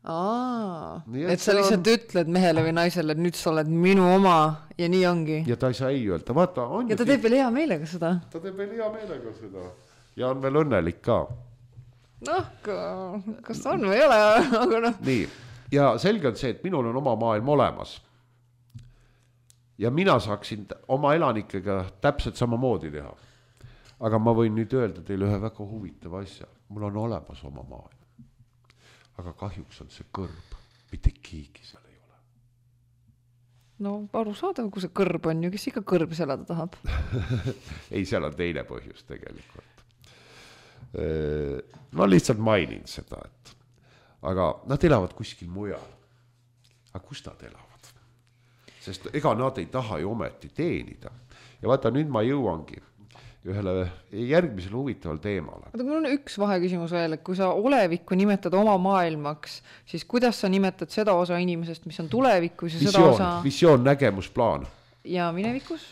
Aa, nii, et, et sa lihtsalt on... ütled mehele või naisele, et nüüd sa oled minu oma ja nii ongi. Ja ta ei saa ei öelda, vaata on. Ja ta teeb veel hea meelega seda. Ta teeb veel hea meelega seda ja on veel õnnelik ka. noh, kas ta on või ei ole, aga noh. Nii, ja selge on see, et minul on oma maailm olemas. Ja mina saaksin oma elanikega täpselt samamoodi teha. Aga ma võin nüüd öelda teile ühe väga huvitava asja. Mul on olemas oma maailm. Aga kahjuks on see kõrb. Mitte keegi seal ei ole. No aru saada, kui see kõrb on ju, kes ikka kõrb selada tahab? Ei, seal on teine põhjus tegelikult. No lihtsalt mainin seda, et aga nad elavad kuskil mujal. Aga kus nad elavad? Sest ega nad ei taha ju ometi teenida. Ja vaata, nüüd ma jõuangi ühele järgmisele huvitaval teemale. Aga mul on üks vaheküsimus veel, et kui sa olevikku nimetad oma maailmaks, siis kuidas sa nimetad seda osa inimesest, mis on tulevikus ja visioon, seda osa... Visioon, nägemusplaan. Ja minevikus?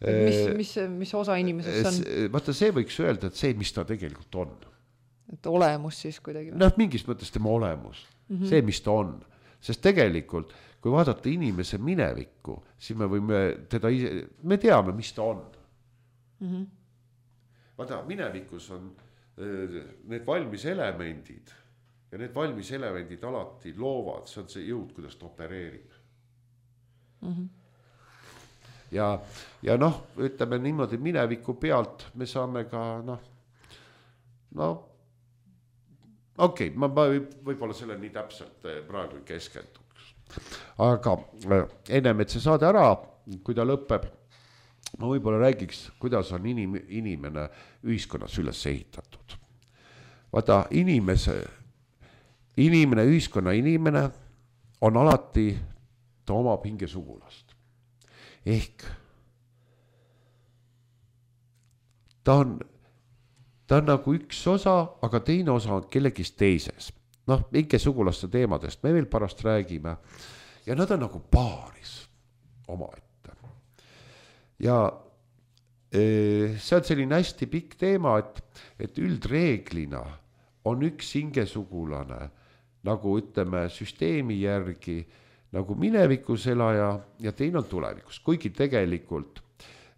Mis, mis, mis osa inimesest on? Vaata, see võiks öelda, et see, mis ta tegelikult on. Et olemus siis kuidagi? Noh, mingis mõttes tema olemus. Mm-hmm. See, mis ta on. Sest tegelikult, kui vaadata inimese minevikku, siis me võime teda ise... Me teame, mis ta on. Mm-hmm. Vaata, minevikus on need valmis elemendid ja need valmis elemendid alati loovad, see on see jõud, kuidas ta opereerib. Mm-hmm. Ja, ja noh, ütleme niimoodi mineviku pealt me saame ka noh, no okei, okay, ma võib-olla selle nii täpselt praegu keskenduks. Aga ennem, et see saade ära, kui ta lõpeb, ma võib-olla räägiks, kuidas on inim, inimene ühiskonnas üles ehitatud. Vaata, inimese, inimene, ühiskonna inimene on alati, ta omab hingesugulast. Ehk ta on, ta on nagu üks osa, aga teine osa on kellegist teises. Noh, hingesugulaste teemadest me veel pärast räägime. Ja nad on nagu paaris omaette. Ja see on selline hästi pikk teema, et, et üldreeglina on üks hingesugulane, nagu ütleme süsteemi järgi, nagu minevikus elaja ja teine on tulevikus, kuigi tegelikult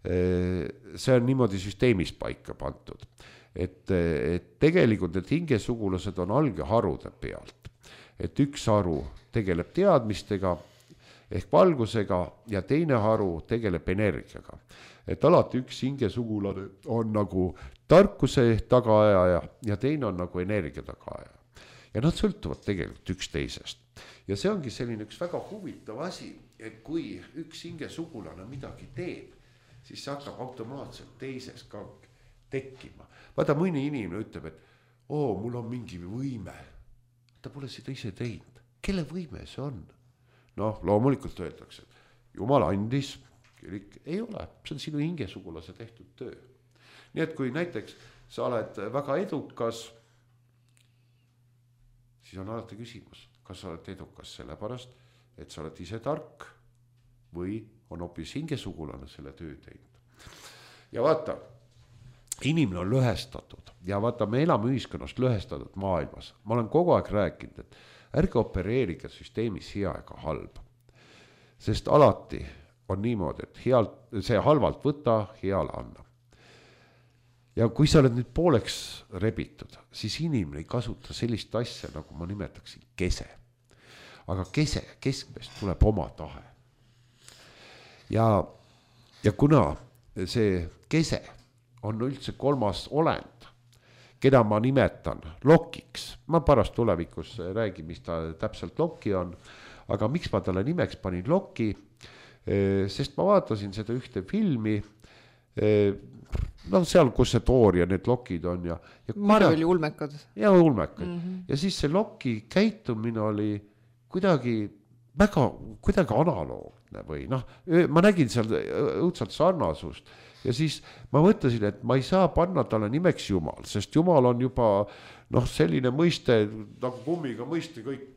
see on niimoodi süsteemis paika pantud, et, et tegelikult need hingesugulased on algeharude pealt, et üks haru tegeleb teadmistega ehk valgusega ja teine haru tegeleb energiaga, et alati üks hingesugulane on nagu tarkuse tagaaja ja teine on nagu energia tagaaja ja nad sõltuvad tegelikult üks teisest. Ja see ongi selline üks väga huvitav asi, et kui üks hingesugulane midagi teeb, siis see hakkab automaatselt teises ka tekkima. Vaata, mõni inimene ütleb, et oo, mul on mingi võime. Ta pole seda ise teinud. Kelle võime see on? Noh, loomulikult öeldakse, et Jumal andis, kirik ei ole. See on sinu hingesugulase tehtud töö. Nii et kui näiteks sa oled väga edukas, siis on alati küsimus, kas sa oled edukas sellepärast, et sa oled ise tark või on hoopis hingesugulane selle töö teinud. Ja vaata, inimene on lõhestatud ja vaata, me elame ühiskonnas lõhestatud maailmas. Ma olen kogu aeg rääkinud, et ärge opereerige süsteemis hea ega halb. Sest alati on niimoodi, et healt, see halvalt võta, heale anna. Ja kui sa oled nüüd pooleks rebitud, siis inimene ei kasuta sellist asja, nagu ma nimetaksin kese. Aga kese, keskmest tuleb oma tahe. Ja, ja kuna see kese on üldse kolmas olend, keda ma nimetan lokiks, ma pärast tulevikus räägin, mis ta täpselt loki on, aga miks ma talle nimeks panin loki, sest ma vaatasin seda ühte filmi, no seal, kus see Thor ja need lokid on ja, ja Marveli ulmekad ja ulmekad mm-hmm. ja siis see loki käitumine oli kuidagi väga kuidagi analoogne või noh, ma nägin seal õudselt sarnasust ja siis ma mõtlesin, et ma ei saa panna talle nimeks Jumal, sest Jumal on juba noh, selline mõiste nagu kummiga mõiste kõik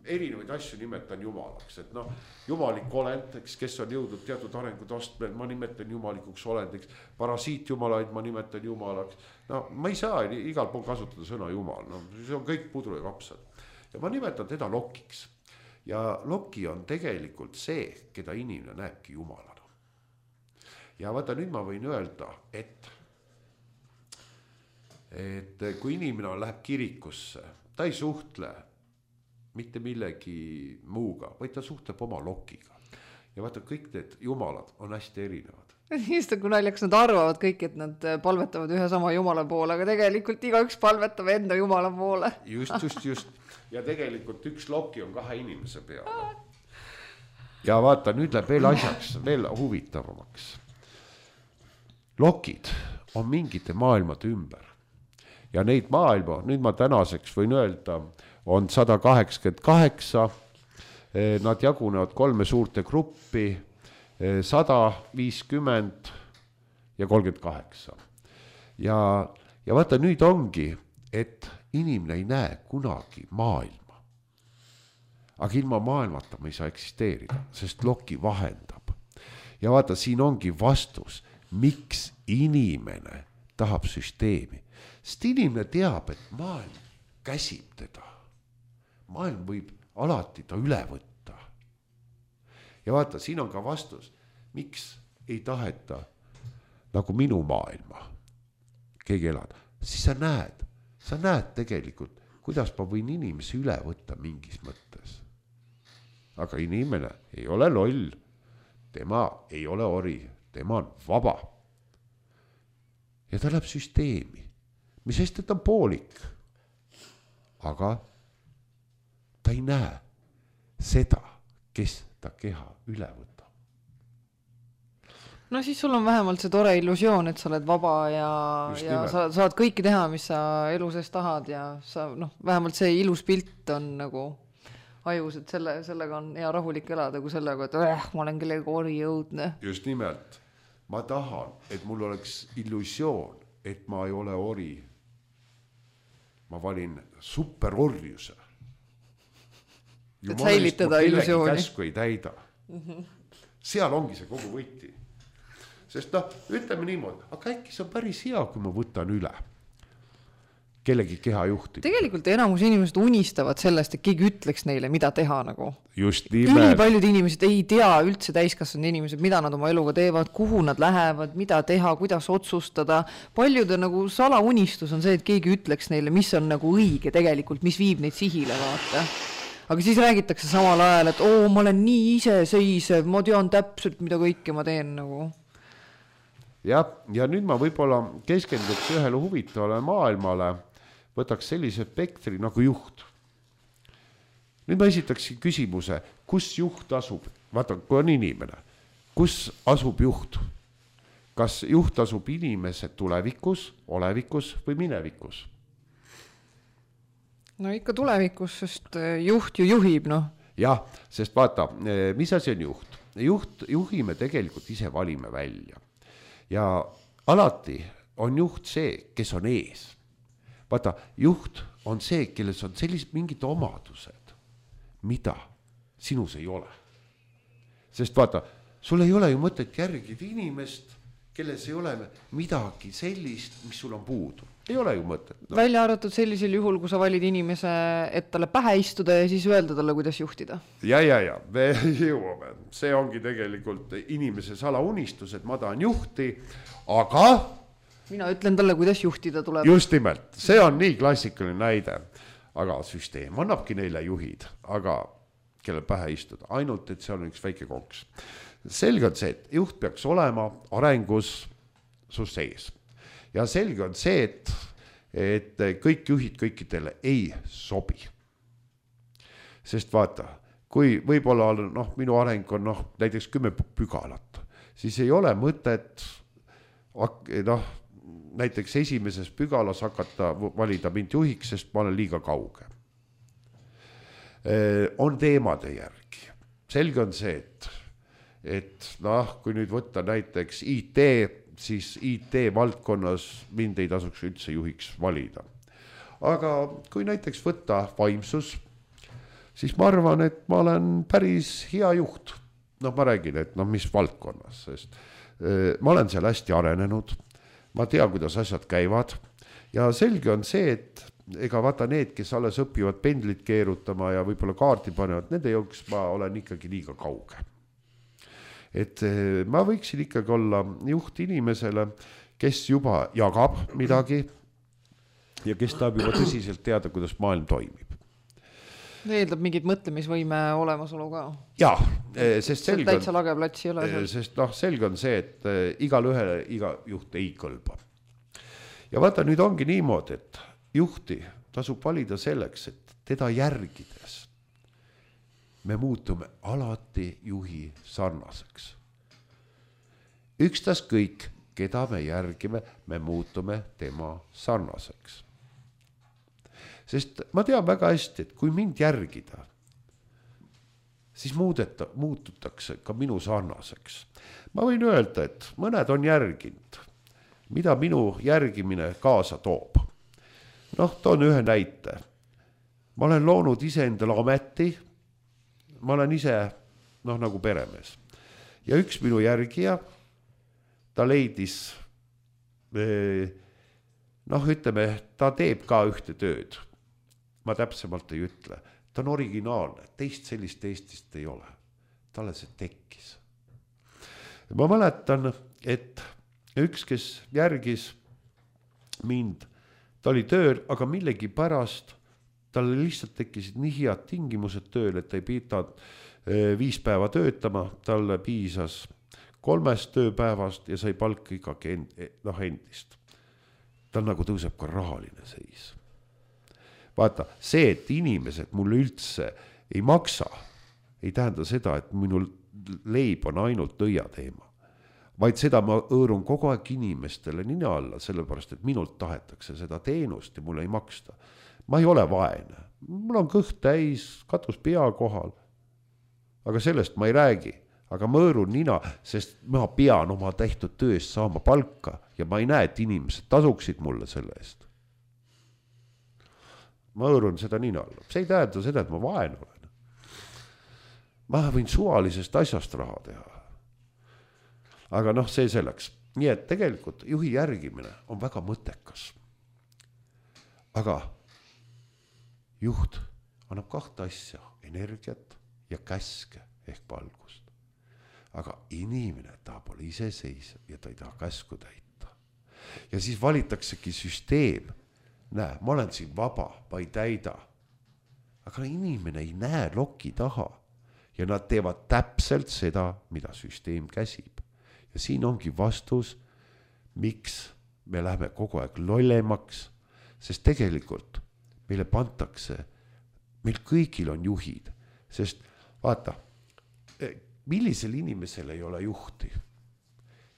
erinevaid asju nimetan jumalaks, et noh, jumalik olend, kes on jõudnud teatud arengutastmel, ma nimetan jumalikuks olendiks, parasiit jumalaid ma nimetan jumalaks, no ma ei saa igal pool kasutada sõna jumal, no see on kõik pudru ja kapsad ja ma nimetan teda lokiks ja loki on tegelikult see, keda inimene näebki jumalana ja vaata nüüd ma võin öelda, et et kui inimene läheb kirikusse, ta ei suhtle mitte millegi muuga, vaid ta suhtleb oma lokiga. Ja vaata, kõik need jumalad on hästi erinevad. Just kui naljakas, nad arvavad kõik, et nad palvetavad ühe sama jumala poole, aga tegelikult igaüks palvetab enda jumala poole. Just, just, just. Ja tegelikult üks loki on kahe inimese peale. Ja vaata, nüüd läheb veel asjaks, veel huvitavamaks. Lokid on mingite maailmade ümber. Ja neid maailma, nüüd ma tänaseks võin öelda, on sada kaheksakümmend kaheksa, nad jagunevad kolme suurte gruppi, sada viiskümmend ja kolmkümmend kaheksa. Ja, ja vaata, nüüd ongi, et inimene ei näe kunagi maailma. Aga ilma maailmata me ei saa eksisteerida, sest loki vahendab. Ja vaata, siin ongi vastus, miks inimene tahab süsteemi. Sest inimene teab, et maailm käsib teda. Maailm võib alati ta üle võtta. Ja vaata, siin on ka vastus, miks ei taheta nagu minu maailma keegi elada. Siis sa näed, sa näed tegelikult, kuidas ma võin inimesi üle võtta mingis mõttes. Aga inimene ei ole loll, tema ei ole ori, tema on vaba. Ja ta läheb süsteemi, mis sest, et ta on poolik. Aga ta ei näe seda, kes ta keha üle võtab. No siis sul on vähemalt see tore illusioon, et sa oled vaba ja, ja sa saad kõike teha, mis sa elu sees tahad ja sa, noh, vähemalt see ilus pilt on nagu ajus, et selle, sellega on hea rahulik elada, kui sellega, et äh, ma olen kellegi ori jõudne. Just nimelt. Ma tahan, et mul oleks illusioon, et ma ei ole ori. Ma valin superorjuse. Et säilitada illusiooni. Käsku ei täida. Mm-hmm. Seal ongi see kogu võti. Sest noh, ütleme niimoodi, aga äkki see on päris hea, kui ma võtan üle kellegi keha juhti. Tegelikult enamus inimesed unistavad sellest, et keegi ütleks neile, mida teha nagu. Just nimelt. Üli paljud inimesed ei tea üldse täiskasvanud inimesed, mida nad oma eluga teevad, kuhu nad lähevad, mida teha, kuidas otsustada. Paljude nagu salaunistus on see, et keegi ütleks neile, mis on nagu õige tegelikult, mis viib neid sihile vaata. Aga siis räägitakse samal ajal, et oo, ma olen nii iseseisev, ma tean täpselt, mida kõike ma teen nagu. Ja, ja nüüd ma võib-olla keskenduks ühele huvitavale maailmale, võtaks sellise spektri nagu juht. Nüüd ma esitaksin küsimuse, kus juht asub? Vaata, kui on inimene, kus asub juht? Kas juht asub inimese tulevikus, olevikus või minevikus? No ikka tulevikus, sest juht ju juhib, noh. Jah, sest vaata, mis asi on juht? Juht juhime tegelikult ise valime välja. Ja alati on juht see, kes on ees. Vaata, juht on see, kelles on sellised mingid omadused, mida sinus ei ole. Sest vaata, sul ei ole ju mõtet järgida inimest, kelles ei ole midagi sellist, mis sul on puudu. Ei ole ju mõtet. No. Välja arvatud sellisel juhul, kui sa valid inimese, et talle pähe istuda ja siis öelda talle, kuidas juhtida. Ja, ja, ja, me jõuame. See ongi tegelikult inimese salaunistus, et ma tahan juhti, aga... Mina ütlen talle, kuidas juhtida tuleb. Just nimelt. See on nii klassikaline näide. Aga süsteem annabki neile juhid, aga kelle pähe istuda. Ainult, et see on üks väike konks. Selge on see, et juht peaks olema arengus su sees. Ja selge on see, et, et kõik juhid kõikidele ei sobi. Sest vaata, kui võib-olla noh, minu areng on noh, näiteks kümme pügalat, siis ei ole mõtet noh, näiteks esimeses pügalas hakata valida mind juhiks, sest ma olen liiga kauge. On teemade järgi. Selge on see, et, et noh, kui nüüd võtta näiteks I T, siis I T valdkonnas mind ei tasuks üldse juhiks valida. Aga kui näiteks võtta vaimsus, siis ma arvan, et ma olen päris hea juht. Noh, ma räägin, et noh, mis valdkonnas, sest ma olen seal hästi arenenud. Ma tea, kuidas asjad käivad ja selge on see, et ega vaata need, kes alles õpivad pendlit keerutama ja võib-olla kaarti panevad, nende jooks ma olen ikkagi liiga kauge. Et ma võiksin ikkagi olla juht inimesele, kes juba jagab midagi ja kes tahab juba tõsiselt teada, kuidas maailm toimib. Eeldab mingit mõtlemisvõime olemasolu ka. Jaa, sest selge täitsa lage plats ei ole seal. Sest noh, selge on see, et igal ühele iga juht ei kõlba. Ja vaata, nüüd ongi niimoodi, et juhti tasub valida selleks, et teda järgides me muutume alati juhi sarnaseks. Ükstas kõik, keda me järgime, me muutume tema sarnaseks. Sest ma tean väga hästi, et kui mind järgida, siis muudeta, muututakse ka minu sarnaseks. Ma võin öelda, et mõned on järginud, mida minu järgimine kaasa toob. Noh, toon ühe näite. Ma olen loonud ise endale ameti, ma olen ise noh, nagu peremees. Ja üks minu järgija, ta leidis, noh, ütleme, ta teeb ka ühte tööd. Ma täpsemalt ei ütle. Ta on originaalne, teist sellist Eestist ei ole. Talle see tekkis. Ma mäletan, et üks, kes järgis mind, ta oli tööl, aga millegi pärast talle lihtsalt tekkisid nii head tingimused tööl, et ta ei pidanud viis päeva töötama, talle piisas kolmest tööpäevast ja sai palka ikkagi end, noh, endist. Tal nagu tõuseb ka rahaline seis. Vaata, see, et inimesed mulle üldse ei maksa, ei tähenda seda, et minu leib on ainult nõia teema. Vaid seda ma õõrun kogu aeg inimestele nina alla, sellepärast, et minult tahetakse seda teenust ja mulle ei maksta. Ma ei ole vaene. Mul on kõht täis, katus pea kohal. Aga sellest ma ei räägi. Aga ma õõrun nina, sest ma pean oma tehtud tööst saama palka ja ma ei näe, et inimesed tasuksid mulle selle eest. Ma õõrun seda nina alla. See ei tähenda seda, et ma vaen olen. Ma võin suvalisest asjast raha teha. Aga noh, see selleks. Nii et tegelikult juhi järgimine on väga mõttekas. Aga juht annab kahte asja, energiat ja käske ehk valgust. Aga inimene tahab olla iseseisev ja ta ei taha käsku täita. Ja siis valitaksegi süsteem. Näe, ma olen siin vaba, ma ei täida. Aga inimene ei näe loki taha ja nad teevad täpselt seda, mida süsteem käsib. Ja siin ongi vastus, miks me läheme kogu aeg lollemaks, sest tegelikult meile pantakse, meil kõigil on juhid, sest vaata, millisel inimesel ei ole juhti?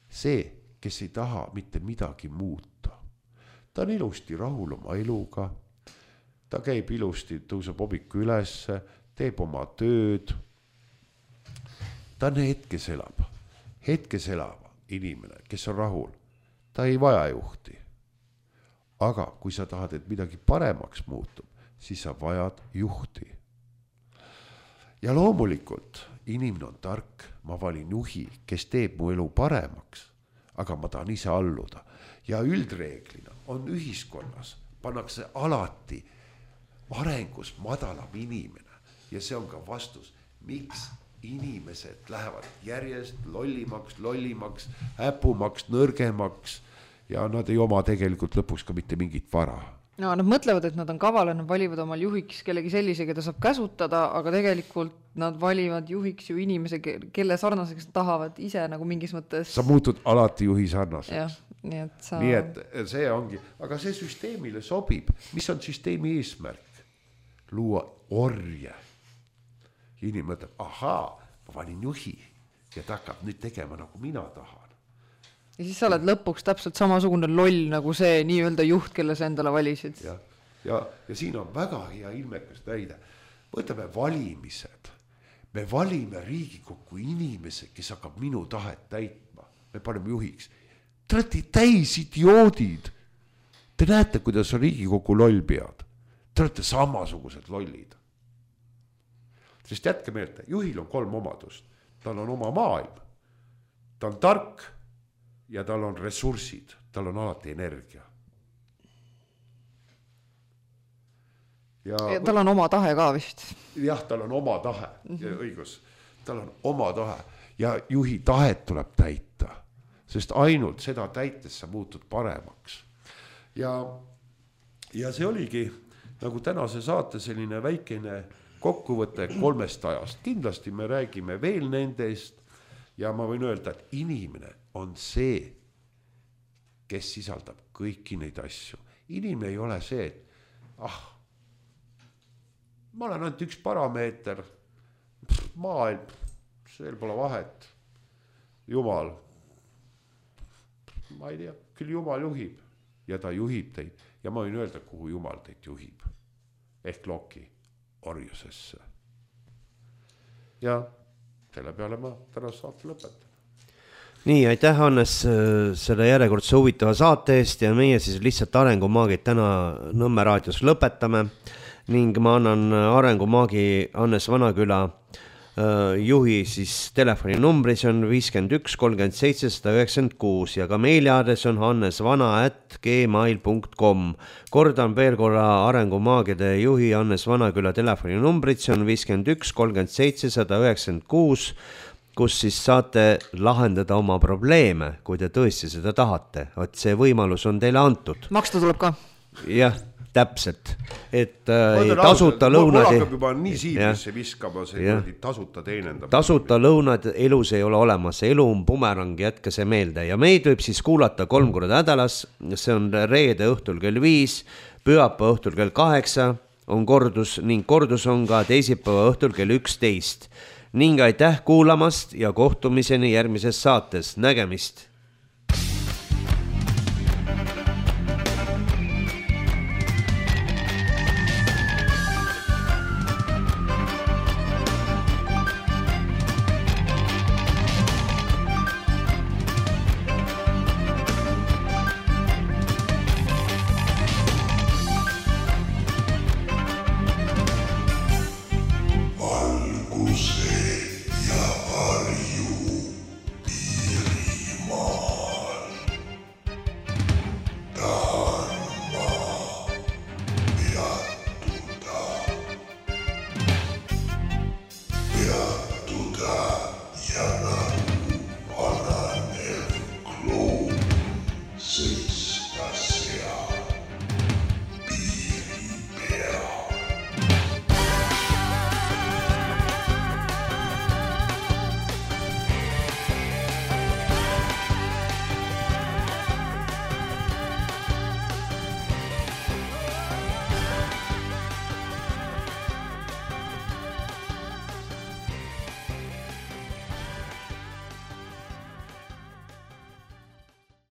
See, kes ei taha mitte midagi muuta. Ta on ilusti rahul oma eluga, ta käib ilusti, tõuseb hommikul ülesse, teeb oma tööd. Ta on hetkes elab, hetkes elava inimene, kes on rahul. Ta ei vaja juhti. Aga kui sa tahad, et midagi paremaks muutub, siis sa vajad juhti. Ja loomulikult inimene on tark, ma valin juhi, kes teeb mu elu paremaks, aga ma tahan ise alluda. Ja üldreeglina on ühiskonnas, pannakse alati arengus madalam inimene ja see on ka vastus, miks inimesed lähevad järjest lollimaks, lollimaks, äpumaks, nõrgemaks ja nad ei oma tegelikult lõpuks ka mitte mingit vara. No, nad mõtlevad, et nad on kaval, nad valivad omal juhiks kellegi sellise, keda saab käsutada, aga tegelikult nad valivad juhiks ju inimese, kelle sarnaseks tahavad ise nagu mingis mõttes. Sa muutud alati juhi sarnaseks. Ja, nii, et sa... nii et see ongi, aga see süsteemile sobib. Mis on süsteemi eesmärk? Luua orje. Inimene mõtleb, ahaa, ma valin juhi ja ta hakkab nüüd tegema nagu mina tahan. Ja siis sa oled lõpuks täpselt samasugune loll nagu see nii-öelda juht, kelle sa endale valisid. Ja, ja, ja siin on väga hea ilmekas näide. Võtame valimised. Me valime Riigikokku inimese, kes hakkab minu tahet täitma. Me paneme juhiks. Te olete täis idioodid. Te näete, kuidas on Riigikokku loll pead. Te olete samasugused lollid. Sest jätke meelde, juhil on kolm omadust. Tal on oma maailm. Ta on tark. Ja tal on ressursid, tal on alati energia. Ja, ja tal on oma tahe ka vist. Jah, tal on oma tahe, mm-hmm. õigus. Tal on oma tahe ja juhi tahet tuleb täita, sest ainult seda täites sa muutud paremaks. Ja, ja see oligi nagu tänase saate selline väikene kokkuvõte kolmest ajast. Kindlasti me räägime veel nendest ja ma võin öelda, et inimene on see, kes sisaldab kõiki neid asju. Inimene ei ole see, et ah, ma olen ainult üks parameeter, maailm, seal pole vahet, Jumal, ma ei tea, küll Jumal juhib ja ta juhib teid ja ma võin öelda, kuhu Jumal teid juhib ehk Loki orjusesse. Ja selle peale ma tänast saate lõpetan. Nii, aitäh Hannes selle järjekordse huvitava saate eest ja meie siis lihtsalt Arengumaagid täna Nõmme raadios lõpetame ning ma annan Arengumaagi Hannes Vanaküla juhi siis telefoninumbri, see on viiskümmend üks kolmkümmend seitse sada üheksakümmend kuus ja ka meiliaadress on hannesvana at gmail punkt com. Kordan veel korra Arengumaagide juhi Hannes Vanaküla telefoninumbrit, see on viiskümmend üks kolmkümmend seitse sada üheksakümmend kuus, kus siis saate lahendada oma probleeme, kui te tõesti seda tahate. Et see võimalus on teile antud. Maksta tuleb ka. Jah, täpselt. Et äh, tasuta lõunad... Mul hakkab juba nii siibisse viskama see tasuta teenendab. Tasuta lõunad elus ei ole olemas. Elu on bumerang, jätka see meelde. Ja meid võib siis kuulata kolm korda nädalas. See on reede õhtul kell viis, pühapa õhtul kell kaheksa on kordus ning kordus on ka teisipäeva õhtul kell üksteist. Ning aitäh kuulamast ja kohtumiseni järgmises saates. Nägemist!